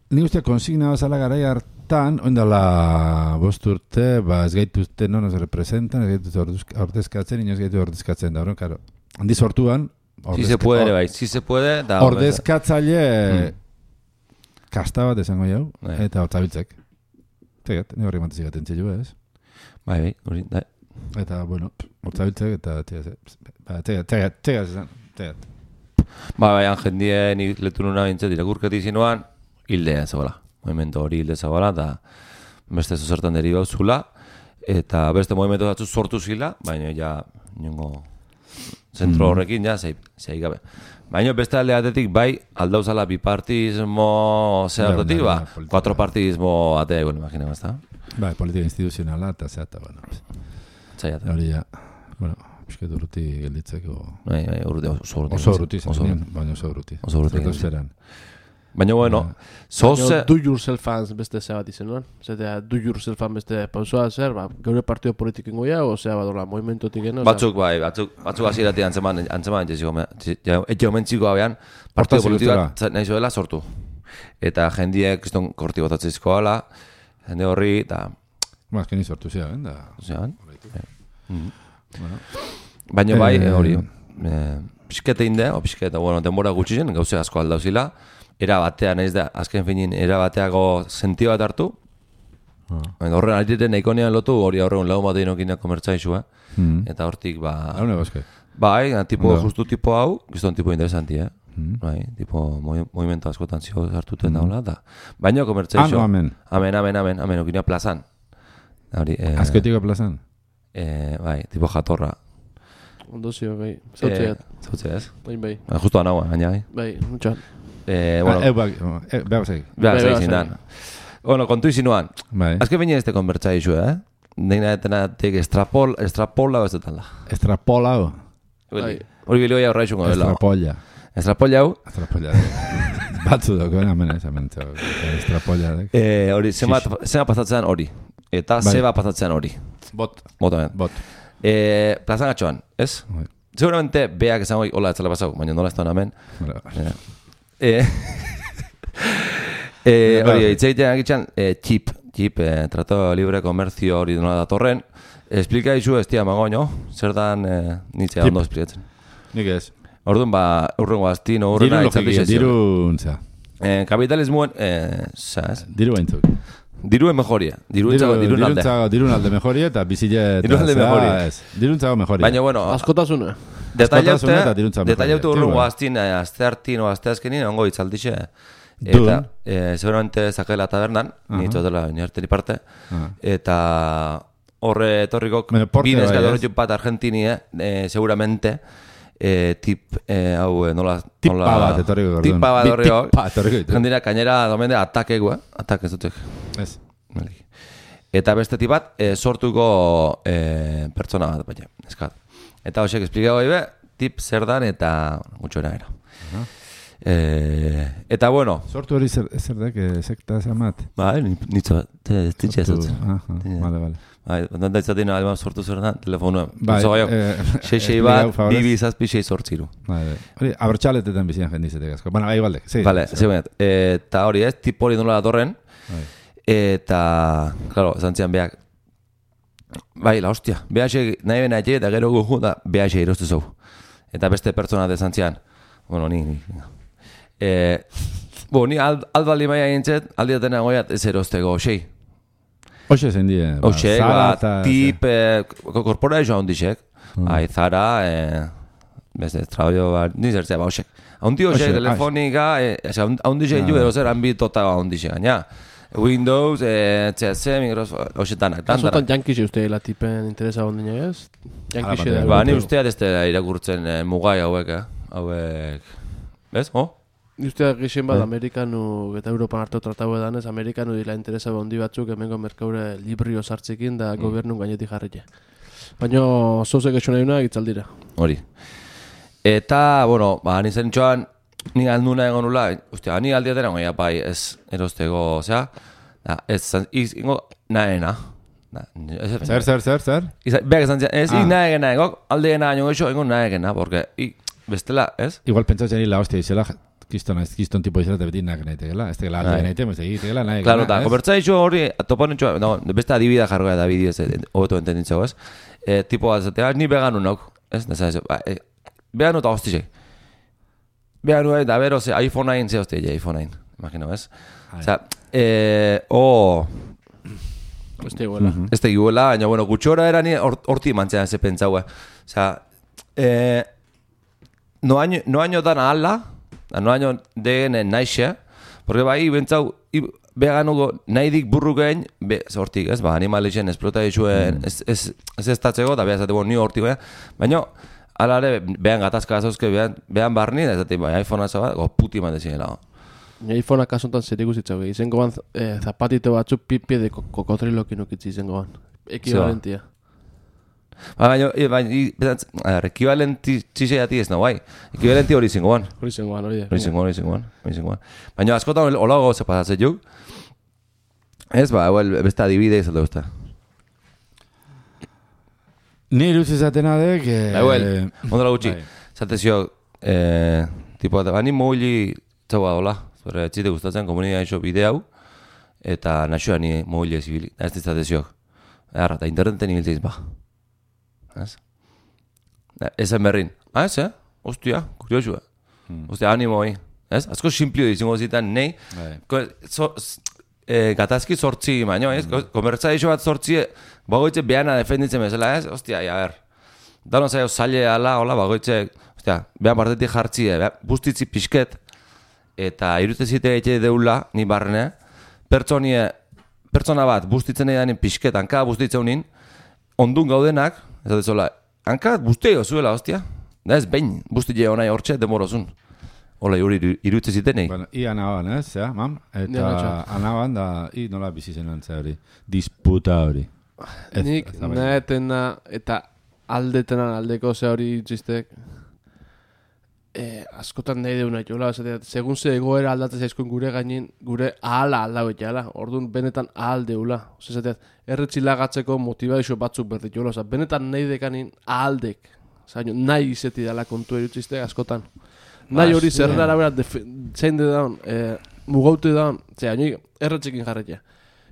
nik uste konsigna bazala garai hartan, oindala 5 urte, ez gaituzte non ez representan, ez gaituzte ordezkatzen, inoz gaitu ordezkatzen da, karo. Handi sortuan, si se puede, bai, si se puede, da ordezkatzaile kasta bat esango jau, eta hortzabiltzek. Tegat, ni horri mantezik atentzia jo, ez? Bai, hori, da. Eta, bueno, hortzabiltzek, eta txegaz esan. Baina jendien letu nuna bintzat irakurketi zinuan, hildean zagoela. Movimento hori hilde zagoela, eta beste zuzertan deribau zula, eta beste movimento datzu sortu zila, baina ja niongo zentro horrekin, ja, zei gabe. Baina beste alde batetik, bai, aldauzala bipartismo zehartotik, ba, 4 partidismo atea egon, imagina, ezta? Bai, politika instituzionala, eta zeata, bueno. Zaiata. Hori ja, bueno, pisket urruti gelditzeko. Bai, oso urruti, baina oso urruti. Baina, bueno, zoze... Do yourself fans beste zea bat izen, Zetea, do yourself fan beste pausoa zer, ba, geure partido politiko ingoia, o zea badorla, movimentotik eno? Batzuk azirati antzeman etxe omentziko abean, partido politikoak nahi zoela sortu. Eta jendiek kriston korti botatzezko ala, jende horri, eta... Ba, azkeni sortu zean, da... Zean? Baina bai, hori, pixkete inde, o pixkete, bueno, denbora gutxi zen, gauze asko aldauzila, era batea nahiz da, azken finin, era bateago sentio bat hartu, horren altiten eikonean lotu, hori horregun lau bat egin komertzaixu, eta hortik, ba... Haune bazke? Bai, justu tipo hau, gizton tipo interesanti, bai, tipo movimento askotan zio hartuten daula, da. Baina komertzaixu... Amen, okina plazan. Azketiko plazan? Bai, tipo jatorra. Ondo zio, bai, zautzeat. Zautzeaz? Bai. Justo anaua, gaina, bai. Bai, mutxan. Behar zeik. Bueno, kontu izinuan. Bai. Azke baina ez te konbertza izu, Deina etena tek estrapola ez detan da. Estrapola hau? Hori bilioia horra izungo dela. Estrapolla. Estrapolla hau? Estrapolla. Batzu dako, hemen ez amentza. Estrapolla. Hori, zema pasatzean hori. Eta zeba pasatzean hori. Bot. Plazan atxoan, ez? Seguramente beak esan hori hola etzala pasau, baina nola ez da hemen. Hori, itzeitean agitxan, txip, trato libre komerzio hori nola datorren. Esplika izu ez tia magoño, zer dan nitzea ondo esplikatzen. Nik ez. Orduan, urrengo aztino, urrena itzaldi Diruntza. Kapitalismoen, Diru baintzuk. Diruen mejoria. Dirun alde mejoria eta bizile... Diruntzago mejoria. Baina, bueno... Askotasuna. Detailaute urrengo azte hartin o azte azkenin, ongo itzaldixe. Eta, seguramente zakela tabernan, nitzotela niarteri parte. Eta horre etorrikok, bines gadorretxun bat Argentini, seguramente, tip hau nola... Tipa bat etorriko. Tipa bat etorriko. Jendira, kainera domende atakegu, atak ez dutek. Ez. Eta beste tip bat, sortuko pertsona bat, baina, eskat. Eta hoxek esplikago ibe, tip zer dan eta gutxo era. Eta bueno... Sortu hori zer dek, sekta zamat? Ba, nitzo, titxe ez dut. Vale. Bai, da izatina alba sortu zer da, telefonua. Bai, xeixei bat, bibi zazpi xei sortziru. Hori, abertxaletetan bizian jendizetek asko. Baina, igualdek. Vale, zegoenet. Eta hori ez, tip hori nola datorren. Eta, claro, zantzian beak. Bai, la hostia. Behaxe nahi bena etxe eta gero gugu da behaxe iroztu zau. Eta beste pertsona de zantzian. Bueno, ni. Ni aldbaldi maia gintzet, aldiatena goiat ez erozteko xei. Oxe zen die. Oxe, tip, korporazioa ondixek. Zara, beste, trabajo, nizertzea, oxek. Haundi oxek, telefonika, haundixek ju erozer ambitota haundixek, gaina. Windows, CS, Microsoft, oxetanak. Azotan jankixe uste la tipen interesa ondina ez? Jankixe da. Ba, ni usteat ez da irakurtzen mugai hauek, Bez, Ni usteak gixen bat Amerikanu eta Europan hartu tratau edan ez, Amerikanu dila interesa bondi batzuk hemengo merkaure librio sartzekin da gobernun gainetik jarretxe. Baina zozek esu nahi una gitzaldira. Hori. Eta, bueno, nintzen txoan, ni alduna egon nula, ni aldiatera goia bai ez erosteko, osea, ez ingo naena. Zer? Beak esan zian, ez naegena egok, aldegena gaino goxo, ingo naegena, porque bestela, ez? Igual pentsatzen hila hostia izela, kiston tipo izela, beti naek nahitegela, ez tegela alde nahitegela, ez tegela naek. Claro, eta, konbertza iso hori, toponen txoa, beste adibida jargoa da bideo, hobeto entenditzago, ez? Tipo bat zatea, ni beganu nauk, ez? Beganu eta hostizek. Beganu da bero, iPhone 9, ze hostia, iPhone 9, imagino, ez? Oza, Ez tegiguela, baina, bueno, gutxora erani horti mantzean ze pentsaue. Osea, no año dan ala, no año degen naixe, porque bai, bentsau, beganuko nahi dik burrukein, hortik, ez, animalixen esplota dituen, ez estatzeko, eta behazateko ni hortik, baina, alare, behan gatazka gazauzke, behan barni, eta ez bai, iPhone-a zabat, puti man dezien, iPhone-a kasuntan zer ikusitzago, izango ban zapatito batzuk pipi de kokotrilokin ukitzi izango ban. Ekivalentia. Baina, ekivalenti txiseiati ez nahi, bai. Ekivalenti hori izango ban. Hori izango ban. Baina, askotan hola gauze pasatzen juk. Ez, beste adibide izate usta. Ni luz izatena dek... Ondela gutxi. Zatezio, tipo, bani mogili txaua dola. Zore, etxite gustatzen, komunidea iso bide hau, eta naxoa ni mogile zibili. Ez dizatezioak. Eta interneten hilteiz, ba. Ez? Ezen berrin. Ez, Ostia, kuriosua. Ostia, animo hoi. Ez? Azko simplio dizingo zitan, nahi. Gatazki sortzi, baino, ez? Komertza iso bat sortzi, bagoitze behana defenditzen bezala, ez? Ostia, ber. Dano zaio zaile ala, hola, bagoitze, ostia, behan partetik jartzi, bustitzi pixket, eta irutezite egite deula, ni barne, pertsona bat bustitzen edanen pixket, hanka bustitzen unin, ondun gaudenak, ez da zola, hanka busteo zuela, ostia, da ez behin, bustitze honai hortxe, demorozun. Hola, iruteziten egin. Bueno, anaban, ez, mam? Eta anaban da, nola bizi zen antzea hori, disputa hori. Nik nahetena eta aldeko ze hori txistek, askotan nahi deuna jola, segun ze egoera aldatzen zaizkoen gure gainin, gure ahala aldau etxala, orduan benetan ahal deula. Erretzilagatzeko motivazio batzuk berdit jola, benetan nahi dekanin ahaldek, nahi izeti dela kontu erutziste askotan. Nahi hori zerren arabera zein de daun, mugaute daun, erretzikin jarretia.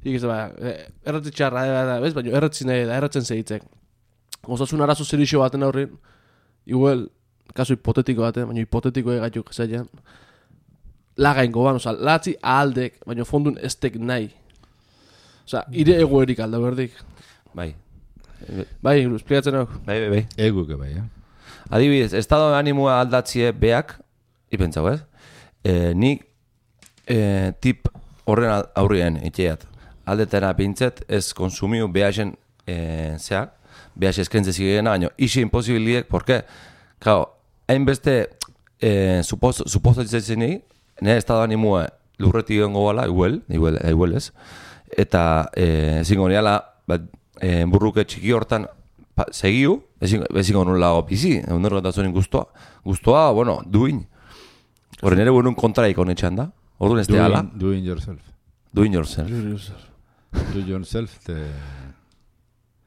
Erretzi txarra, baina erretzi nahi da, erretzen zehitzek. Osasun arazo zerixo baten aurrin, igual, kaso hipotetiko baten, baina hipotetiko egaituk zailan, lagain goban, latzi ahaldek, baina fondun estek nahi. Ire egoerik alda berdik. Bai. Bai, esplikatzen hau. Bai. Eguke bai, Adibidez, estado animoa aldatzie beak, ipentzau ez, nik tip horren aurrien itxeat. Aldetena pintzet ez konsumiu behasen zeak, behas eskrentze zigena, baina isi imposibiliek, porke, kao, hainbeste suposatzen egin, nire estado animoa lurretik egongo bala, igual ez, eta ezingo niala, burruke txiki hortan segiu, ezingo nula bizi, egunerro eta zonin guztua, bueno, duin. Horren ere buenun kontraik honetxan da, orduan ez teala. Doing yourself. Doing yourself. Do yourself,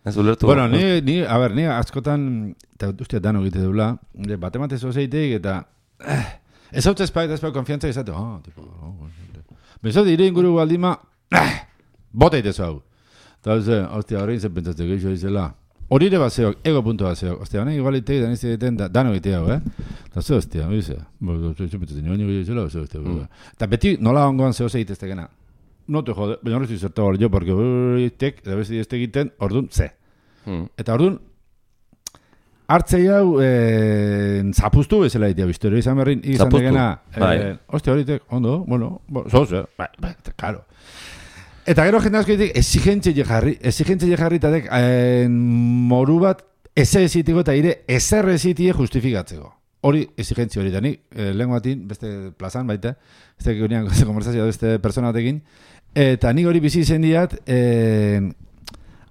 Ez ulertu. Bueno, ni askotan, eta ustia dano egite dula, batemate zozeitek eta ez hau tezpaik konfiantza izate, tipo, bezat ire inguru baldima, bota itezu hau. Eta hostia, horrein zen pentsatzeko gehiago izela. Hori ere bat zeok, ego puntu bat zeok. Ostia, honek igual itek, dan izte egiten, dano egitea hau, Eta ze hostia, oizea. Eta beti nola ongoan zehose egiteztekena. No te jode, baina horretu izertu hori jo, porque itek, eta besti este egiten, orduan, ze. Eta orduan, hartzei hau zapuztu bezala egitea biztu, izan berrin, izan degena, hostia, hori itek, ondo, bueno, zoze, karo. Eta gero jende asko ditek, exigentzie jarri eta dek, moru bat, eze ezitiko eta ire, ezer ezitie justifikatzeko. Hori exigentzia hori da, nik, lehen batin, beste plazan baita, ez da geunean konversazioa beste persona batekin, eta nik hori bizi izen diat,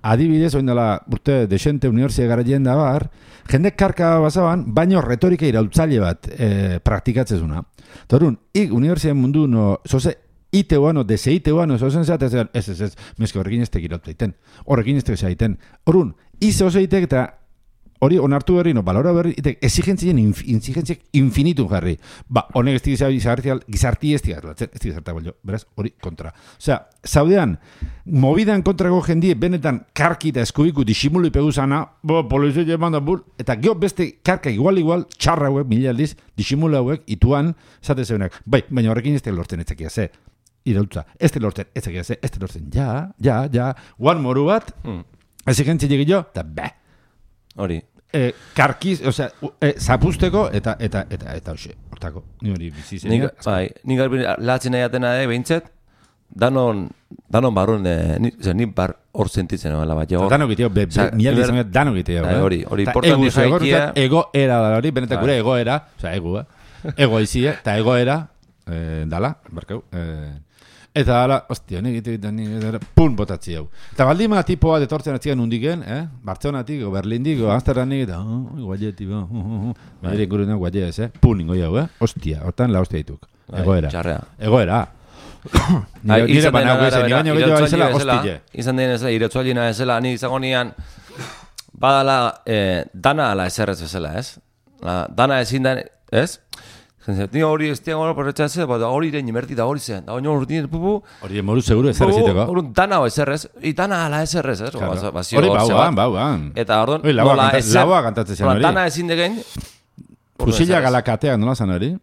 adibidez, oin dela, urte, desente unibertsia garaien da bar, jende karka bazaban, baino retorika irautzaile bat praktikatzezuna. Torun, ik unibertsia mundu no, zoze, iteuano, deseiteuano, zozen zaten, ez, meske horrekin ez tekirautu egiten, horrekin ez tekirautu egiten. Horun, ize oso egiten eta hori onartu berri, balora berri, exigentzien infinitu jarri. Honek ez gizarti ez digazartak bolio, beraz, hori kontra. Osea, zaudean, mobidan kontrako jendie benetan karki eta eskubiku disimulu ipegu zana, polizio jeman da bul, eta geho beste karka igual, txarra hauek, mila aldiz, disimulu hauek, ituan, zate zeunak. Baina horrekin ez lortzen etzakia, ze. irautza. Ez lortzen, ez lortzen. Ja, guan moru bat, exigentzia jo, eta be. Hori. Karkiz, osea, zapusteko eta hoxe, hortako. Ni hori bizi zen. Ni garbi latzen aiatena behintzet, danon barrun, ni bar hor sentitzen nola bat. Danok iteo, mialdi izan danok iteo. Hori importanti jaikia. Egoera da hori, benetak gure egoera, osea, ego aizie, eta egoera, dala, barkau, eta dala, ostia, nik pun botatzi hau. Eta baldima tipoa detortzen atzian undiken, Bartzelonatik, o Berlindik, o Amsterdanik, eta guaieti, badire inguruna guaiet ez, pun ingo jau, ostia, hortan la ostia dituk. Egoera. Nire baina guezen, nire baina gehiago aizela, hostile. Izan den ezela, iretzualina ezela, ni izango nian, badala, dana ala eserrez bezala, ez? Dana ezin den, ez? Ni hori ez tiago porretxatzen, hori irein imerti da hori zen, da hori urtien, hori moru seguru eserreziteko. Hori dana eserrez, dana ala eserrez, ez? Hori bauan. Eta hori, laua kantatzen zen hori. Dana ezin degen. Fusila galakateak nola zan hori?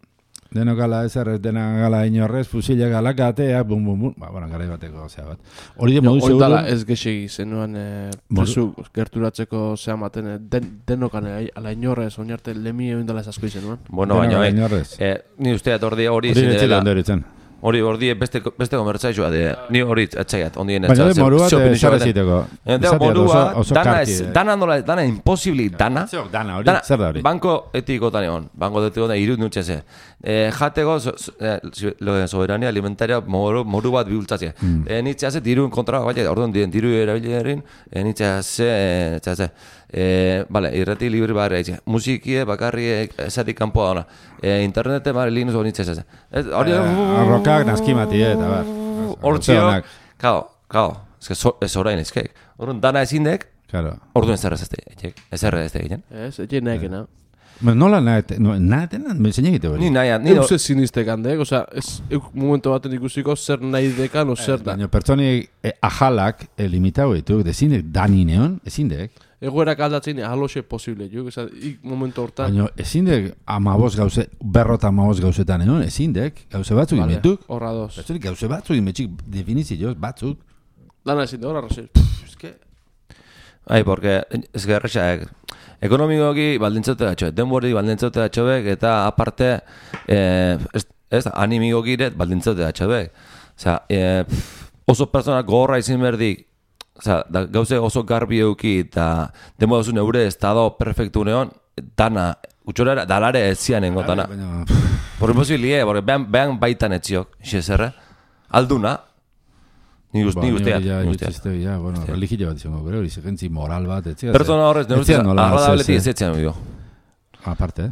Deno gala eserrez, dena gala inorrez, fusila galakateak, bum. Bueno, garai bateko, zea bat. Hori de modu seguru. Hori dala ez gexegi zenuan presu gerturatzeko zea maten, denokan ala inorrez, oinarte lemi egin dala esasko izenuan. Bueno, baina, ni usteat hori zindela. Hori beste komertzaizua de ni hori atzaiat ondien ez. Baina de morua de esarreziteko. Dana imposible dana. Dana hori, zer da hori? Banko etikotan egon. Banko etikotan irud nutxeze. Jateko soberania alimentaria moru bat bihultzatzea. Nitze haze diruen kontra bat, orduan diru erabilerin, nitze haze, vale, irrati libri barra etxe. Musikie bakarri esatik kanpoa dona. Internete barra linuz hori nitze haze. Arrokak naskimati, eta bar. Hortzio, kao, ez orain ezkeik. Orduan dana ezindek, orduan ezerrez ez egin. Ezerrez ez egin. Ez nahi. Nola nahetenan, zein egite hori? Ni nahi. Euse sinistek handek, oza, momentu baten ikusiko zer nahi dekan, o zer da. Baina pertsoni ajalak limitau ditu, ezindek dani neon, ezindek. Egoerak aldatzen ahaloxe posible, juk, momentu hortan. Baina ezindek berrota 15 gauzetan egon, ezindek, gauze batzuk inmetuk. Horra doz. Pertsoni gauze batzuk inmetxik definizioz, batzuk. Dana ezinde, horra razil. Porque ez gerrexak, ekonomikoki baldintzote datxoek, denbori baldintzote datxoek, eta aparte, animikoki ere baldintzote datxoek. Oso persona gogorra izin berdik, gauze oso garbi euki, eta denbora zuen eure estado perfektu neon, dana, utxorera, dalare ez zian engo dana. Por imposibilie, behan baitan etziok, xezerre, alduna, Ni guztiak. Bueno, religio bat izango, hori zigentzi moral bat, etxea. Pertsona horrez, agradabletik ez etxean bio. Aparte.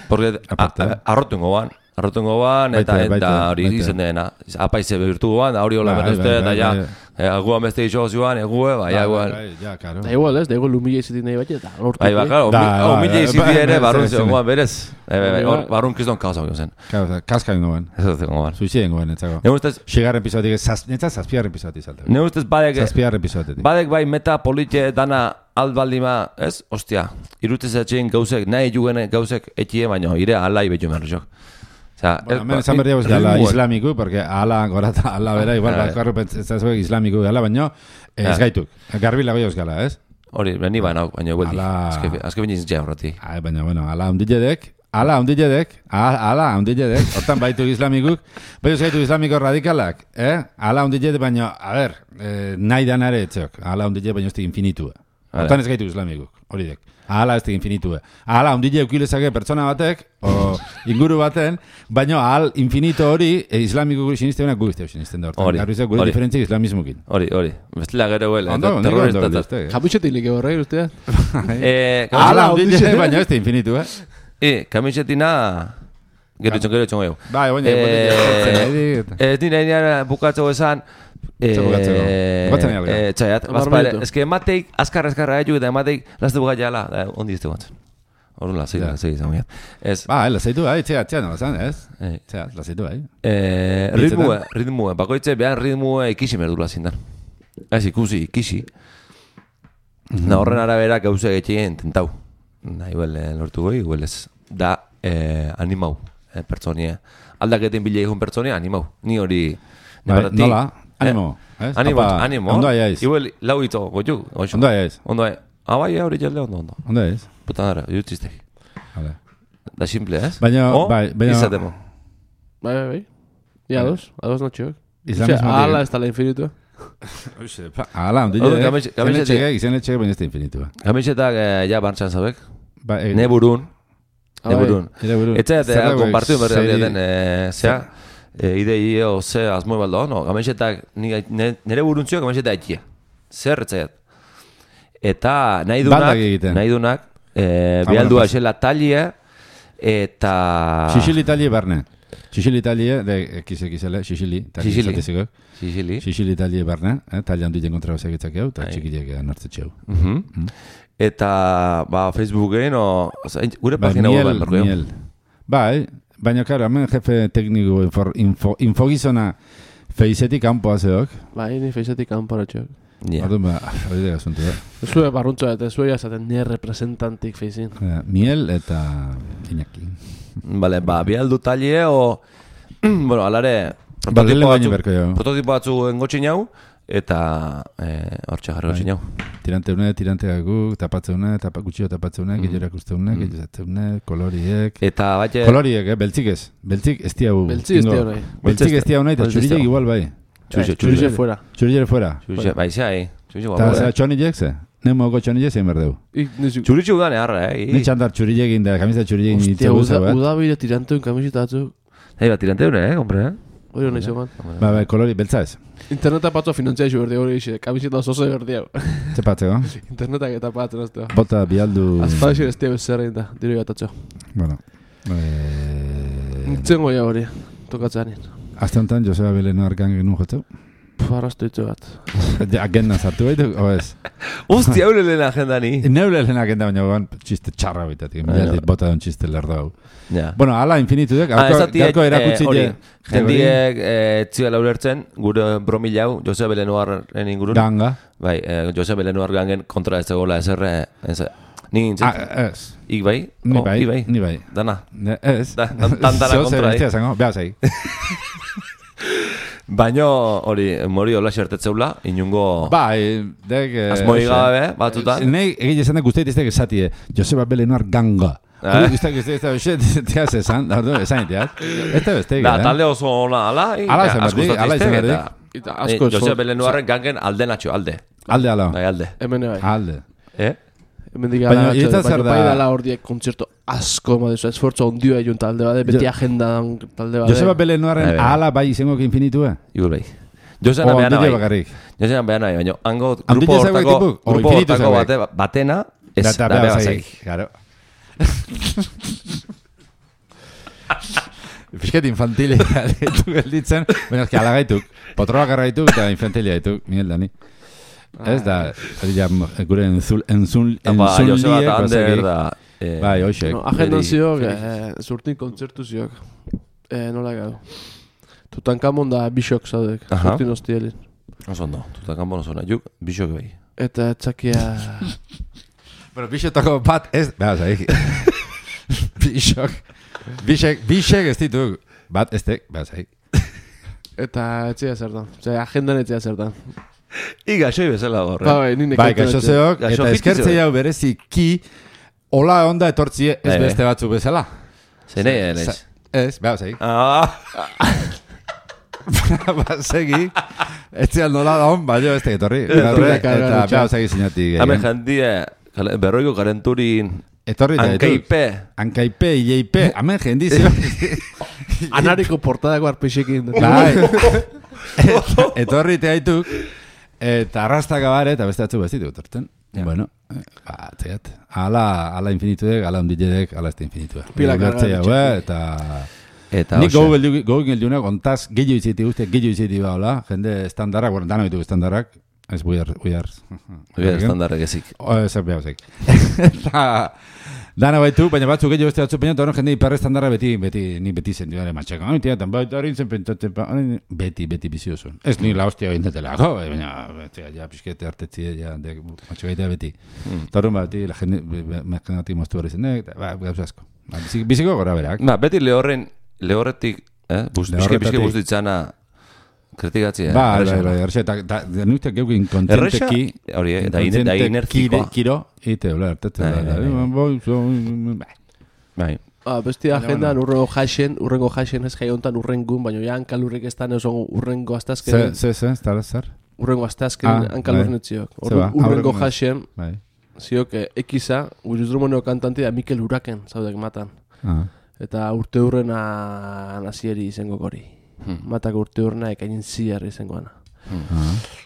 Porque arrotungo ban, eta hori izen dena. Apaize behirtu ban, hori hola berrezte, eta ja, aguan beste iso zioan, egue, bai, aguan. Da igual, ez, da igual humile izitin nahi bat, eta lortu. Bai, humile izitin ere, barrun zioan, berez. Barrun kizdon kauza zen. Kaska ingo ban. Ez dut ingo ban. Suizide ingo ban, etzako. Xigarren pisotik, zazpiarren pisotik zalte. Ne ustez badek... Zazpiarren pisotik. Badek bai meta politxe dana aldbaldima, ez? Ostia, irutez etxein gauzek, nahi jugene gauzek etxie, baino, ire alai betu merrexok. Hemen esan berdia gala islamiku, porque ala gorata, ala bera, igual, bakarru pentsazuek islamiku gala, baina ez gaituk. Garbi lago jauz gala, ez? Hori, beni baina hueldi. Azke bine izan horreti. Baina, bueno, ala ondilledek, hortan baitu islamikuk, bai gaitu islamiko radikalak, ala ondilledek, baina, a ber, nahi danare etxeok, ala ondilledek baina ez infinitua. Hortan ez gaitu islamikuk, hori dek. Ahala ez infinitue. Ahala, ondile eukilezake pertsona batek, o inguru baten, baina ahal infinito hori islamiko guri sinisteunak guzteu sinisten da hortan. Garbizak gure diferentziak islamismukin. Hori. Bestela gero huele. Kamisetik horre, ustea? Ahala, ondile, baina ez infinitu, Kamisetina... Gero etxon gehiago. Bai, baina... Ez nire bukatzeko esan... Txaiat, ez que emateik azkarra egiu eta emateik lazte buka jala, ondi izte guantzen. Horren lazeitu izan guiat. Lazeitu bai, txea nola zan, ez? Txea, lazeitu bai. Ritmue, bakoitze behan ritmue ikisi merdula zindan. Ez ikusi, ikisi. Horren arabera gauze getxeien tentau. Igual lortu goi, igual ez. Da, animau, pertsonia. Aldaketin bile egun pertsonia, animau. Ni hori... Nola, animo. Animo. Ondo aiz. Igual lau ito, goitu. Ondo aiz. Ondo aiz. Hori jelde ondo. Ondo aiz. Puta dara, jutziztek. Da simple, ez? Baina... Izatemo. Bai. Ia ados notxeok. Ala ez tala infinitua. Ala, izen etxeak baina ez da infinitua. Gamisetak ja bantzan zabek. Neburun. Etxeak kompartiu berri den, zea, idei o ze azmoi baldo, no, gamisetak nire buruntziok gamisetak ekia. Zer etxeak. Eta nahi dunak, behaldua esela talia, eta... Xixili talia barne. Xixili talia, ekizele, xixili talia barne, talia handuiten kontra basak etzak hau, eta txikileak nartzetxe hau. Eta, Facebooken, gure pagina hau behar. Miel. Baina, karo, hemen jefe tekniko infogizona feizetik kanpoa zeok. Ni feizetik kanpoa txok. Orduan, hori da asuntu da. Zue barruntzoa eta zue jazaten nire representantik feizin. Miel eta Iñaki. Bale, bialdu talie o... Bueno, alare... Prototipo batzu engotxin jau, eta hortxe jarri gotxin jau. Tirante gaguk, tapatzeune, gutxio tapatzeune, gehiorak usteune, gehioratzeune, koloriek... Eta bate... Koloriek, beltzik ez. Beltzik ez diau... Beltzik ez diau nahi. Beltzik ez diau nahi, eta txurilek igual bai. Txurilek fuera. Txurilek fuera. Baizai. Eta txonilek ze? Nemo txonilek zein berdeu. Txuritxu gane harra, Ni txandar txurilek inda, kamisa txurilek nintzen guza bat. Udabide tiranteun kamisita atzuk. Tiranteun, kompre, Hori hona izo man. Kolori, beltza ez. Interneta patzo finantzia iso berdi hori iso, kamisita zozo berdi hau. Ze patzeko? Internetak eta patzo nazteo. Bota bialdu... Azpadexin ez teo zerrein da, diro gatatxo. Bueno. Nintzen goia hori, tokatzean. Azte honetan, Joseba Beleno arkan genuen jotzeu? Arrastu ditu bat. Agenda sartu baitu, o ez? Usti, haule lehen agenda ni. Neule lehen agenda, baina gogan txiste txarra baitatik. Milaldik bota duen txiste lerdo hau. Bueno, ala infinitu dek. Garko erakutsi je. Jendiek txigala ulertzen, gure bromila hau, Joseba Belenoaren ingurun. Ganga. Bai, Joseba Belenoar gangen kontra ez egola ezerre. Ni nintzen. Ez. Ik bai? Ni bai. Dana. Ez. Tantara kontra. Behazai. Baina hori, mori hola xertetzeula, inungo... dek... Azmoi gabe, batzutan. Nei, egin esan da guztiet iztek esatie, Joseba Belenoar ganga. Iztek esan, esan iteaz. Ez da beste, da, talde oso ona, ala izan berdik. Joseba Belenoarren gangen alde natxo, alde. Alde, ala. Bai, alde. Hemen bai. Alde. Baina bai dala hor diek kontzerto asko madezu, esfortzo ondioa egin talde bade, beti agenda talde bade. Joseba Belenoarren ala bai izango infinitua? Igul bai. Josenan behana bai, baina hango grupo hortako batena ez da beha bazaik. Claro. Fisket infantilia gaituk gelditzen, baina ezki alagaituk, potroak arraituk eta infantilia gaituk, Miguel Dani. Ez da, gure enzunliek bazaik. Bai, hoxek. Agenda ziok, zurtin kontzertu ziok. Nola gau. Tutankamon da bisok zaudek, zurtin hostielin. Oso ondo, Tutankamon oso nahi, bisok bai. Eta etzakia... Bueno, bisotako bat ez... Bazaik. Bisok. Bisek ez dituk. Bat ez tek, bazaik. Eta etzia zertan. Agendan etzia zertan. Gaxoi bezala horre. Bai, gaxozeok, eta eskertzei hau bereziki hola onda etortzie ez beste batzu bezala. Zene, naiz. Ez, bazaik. Bazegi, etzial nola da hon, baina ez tegetorri. Eta bazaik zinatik. Hame jandie, berroiko karenturin... Ankaipe, ileipe, amen jendizio. Anariko portadako arpexekin. Etorri te haituk, eta arrastaka bare, eta beste atzu bezit etorten. Bueno, txegat, ala infinituek, ala ondilledek, ala este infinituek. Pila kargara. Eta nik gogu geldiunak, ontaz, gehiu iziti guztiak, gehiu iziti baula, jende estandarrak, bueno, dano ditugu estandarrak, ez buiar. Buiar estandarrak ezik. Ez behar ezik. Eta... Dana baitu, baina batzuk gehiago beste batzuk baina, eta horren jende hiperre estandarra beti zen, dira matxaka. Tiatan, baita hori zen pentsatzen, beti biziozun. Ez ni la hostia egin baina, ja, pixkete hartetzi, ja, matxakaitea beti. Eta horren bati, la jende, mezkenatik moztu hori zen, gauza asko. Biziko gora berak. Beti lehorretik, pixke guztitzana, kritikatzi, Bai, errexe, eta denuitek geukin kontenteki... Hori, da inertzikoa. Kiro, ite, hola, Bai. Bestia agendan urrengo jaixen ez jaiontan urrengun, baina ja hankalurrik ez da neuzon urrengo astazken... Zer? Urrengo astazken hankalurren etziok. Urrengo jaixen, ziok ekiza, Guzrumano kantanti da Mikel Uraken, zaudek matan. Eta urte hurrena nazieri izango gori. Matako urte hurrena ekainin ziarri izangoana.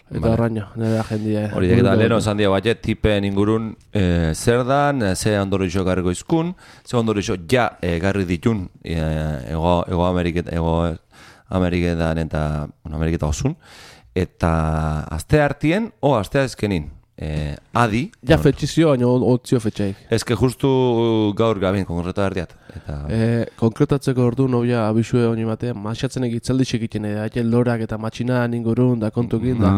Eta horraino, nire agendia. Hori eta leheno esan dira bat, tipen ingurun zer dan, ze ondorixo garriko izkun, ze ondorixo ja garri ditun Ego Ameriketan eta Ameriketa osun, eta azte hartien o azte azkenin. Adi. Ja fetxizio, baina otzio fetxaik. Ezke justu gaur gabin, konkreto erdiat. Konkretatzeko ordu nobia abisue honi batean, maixatzenek itzaldixek egiten edo, lorak eta matxinan ingurun da kontukin da.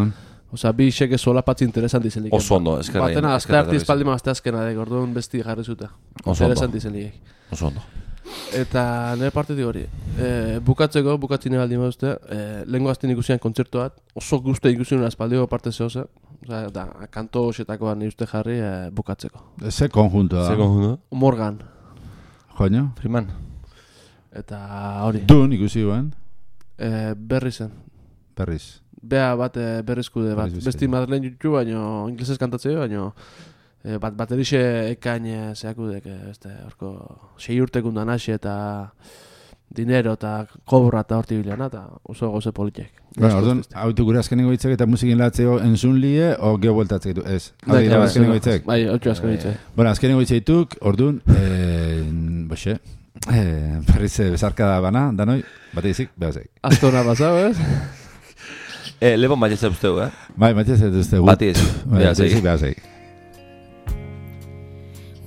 Osa, bi iseke solapatzi interesanti zelik. Oso ondo, eskerra. Batena, azte artiz paldima azte azkena, orduan besti jarri zuta. Interesanti zelik. Oso ondo. Eta nire partetik hori. Bukatzine baldin baduzte, lehenko azten ikusian kontzertu bat, oso guzti ikusian azpaldiko parte zehoze. Da, kanto osetakoa nire uste jarri bukatzeko. Ze konjuntoa? Morgan. Joño? Freeman. Eta hori. Dun ikusi guen? Berrizen. Berriz. Bea bat berrizkude bat. Besti Madeleine jutu, baino inglesez kantatzeo, baino baterixe ekain zeakudek, horko 6 urtekundan hasi eta dinero eta kobra eta horti bileana, eta oso goze politiek. Bueno, orduan, hautu gure azkenengo hitzek eta musikin latzeo entzun lie, o geho bueltatzek ditu, ez? Azkenengo hitzek? Bai, hautu azkenengo hitzek. Bueno, azkenengo hitzek dituk, orduan, boxe, berriz bezarka bana, danoi, bate izik, behazek. Aztona pasau, ez? Lebon batietze usteu, Bai, batietze usteu. Batietze, behazek.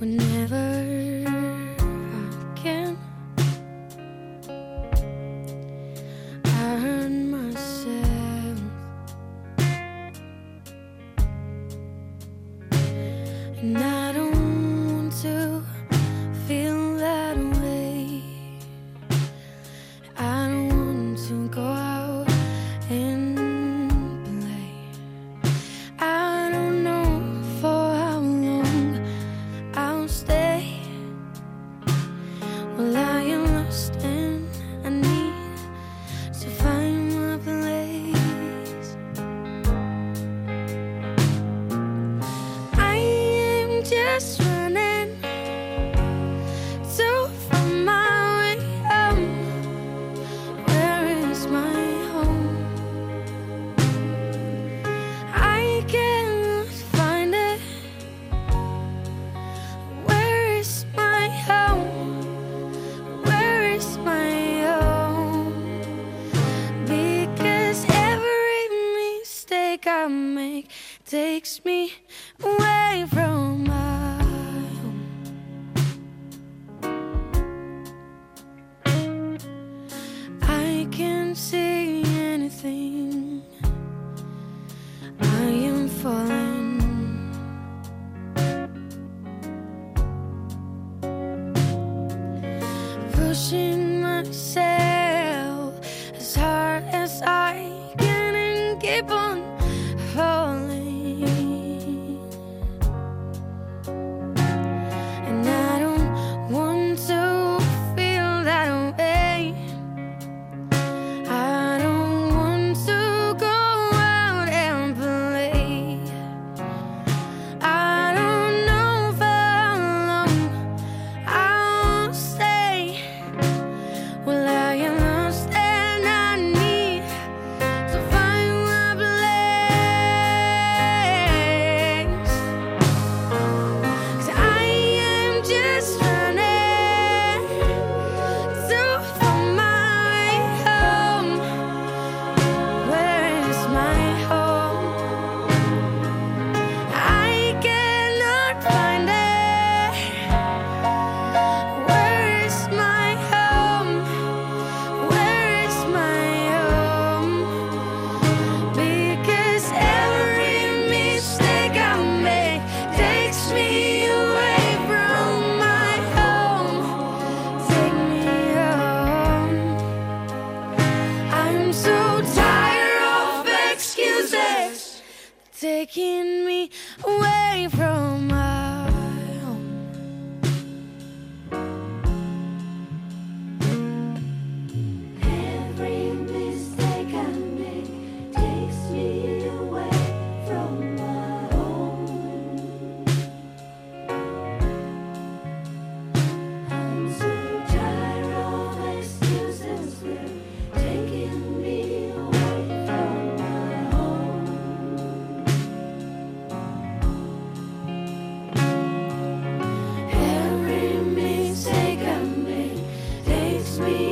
Whenever I can, I hurt myself, and I don't want to feel that way. I don't want to go out and play. I don't know for how long I'll stay. Well, I am lost and I need to find my place. I am just running to find my way home. Where is my home? I cannot find it. Where is my home? Where is my home? Because every mistake I make takes me away from my home. I can't see anything. I am falling. Pushing myself as hard as I can and keep on falling. taking me away from my home. Every mistake I make takes me away from my home. I'm so tired of excuses, they're taking me away from my home. Every mistake I make takes me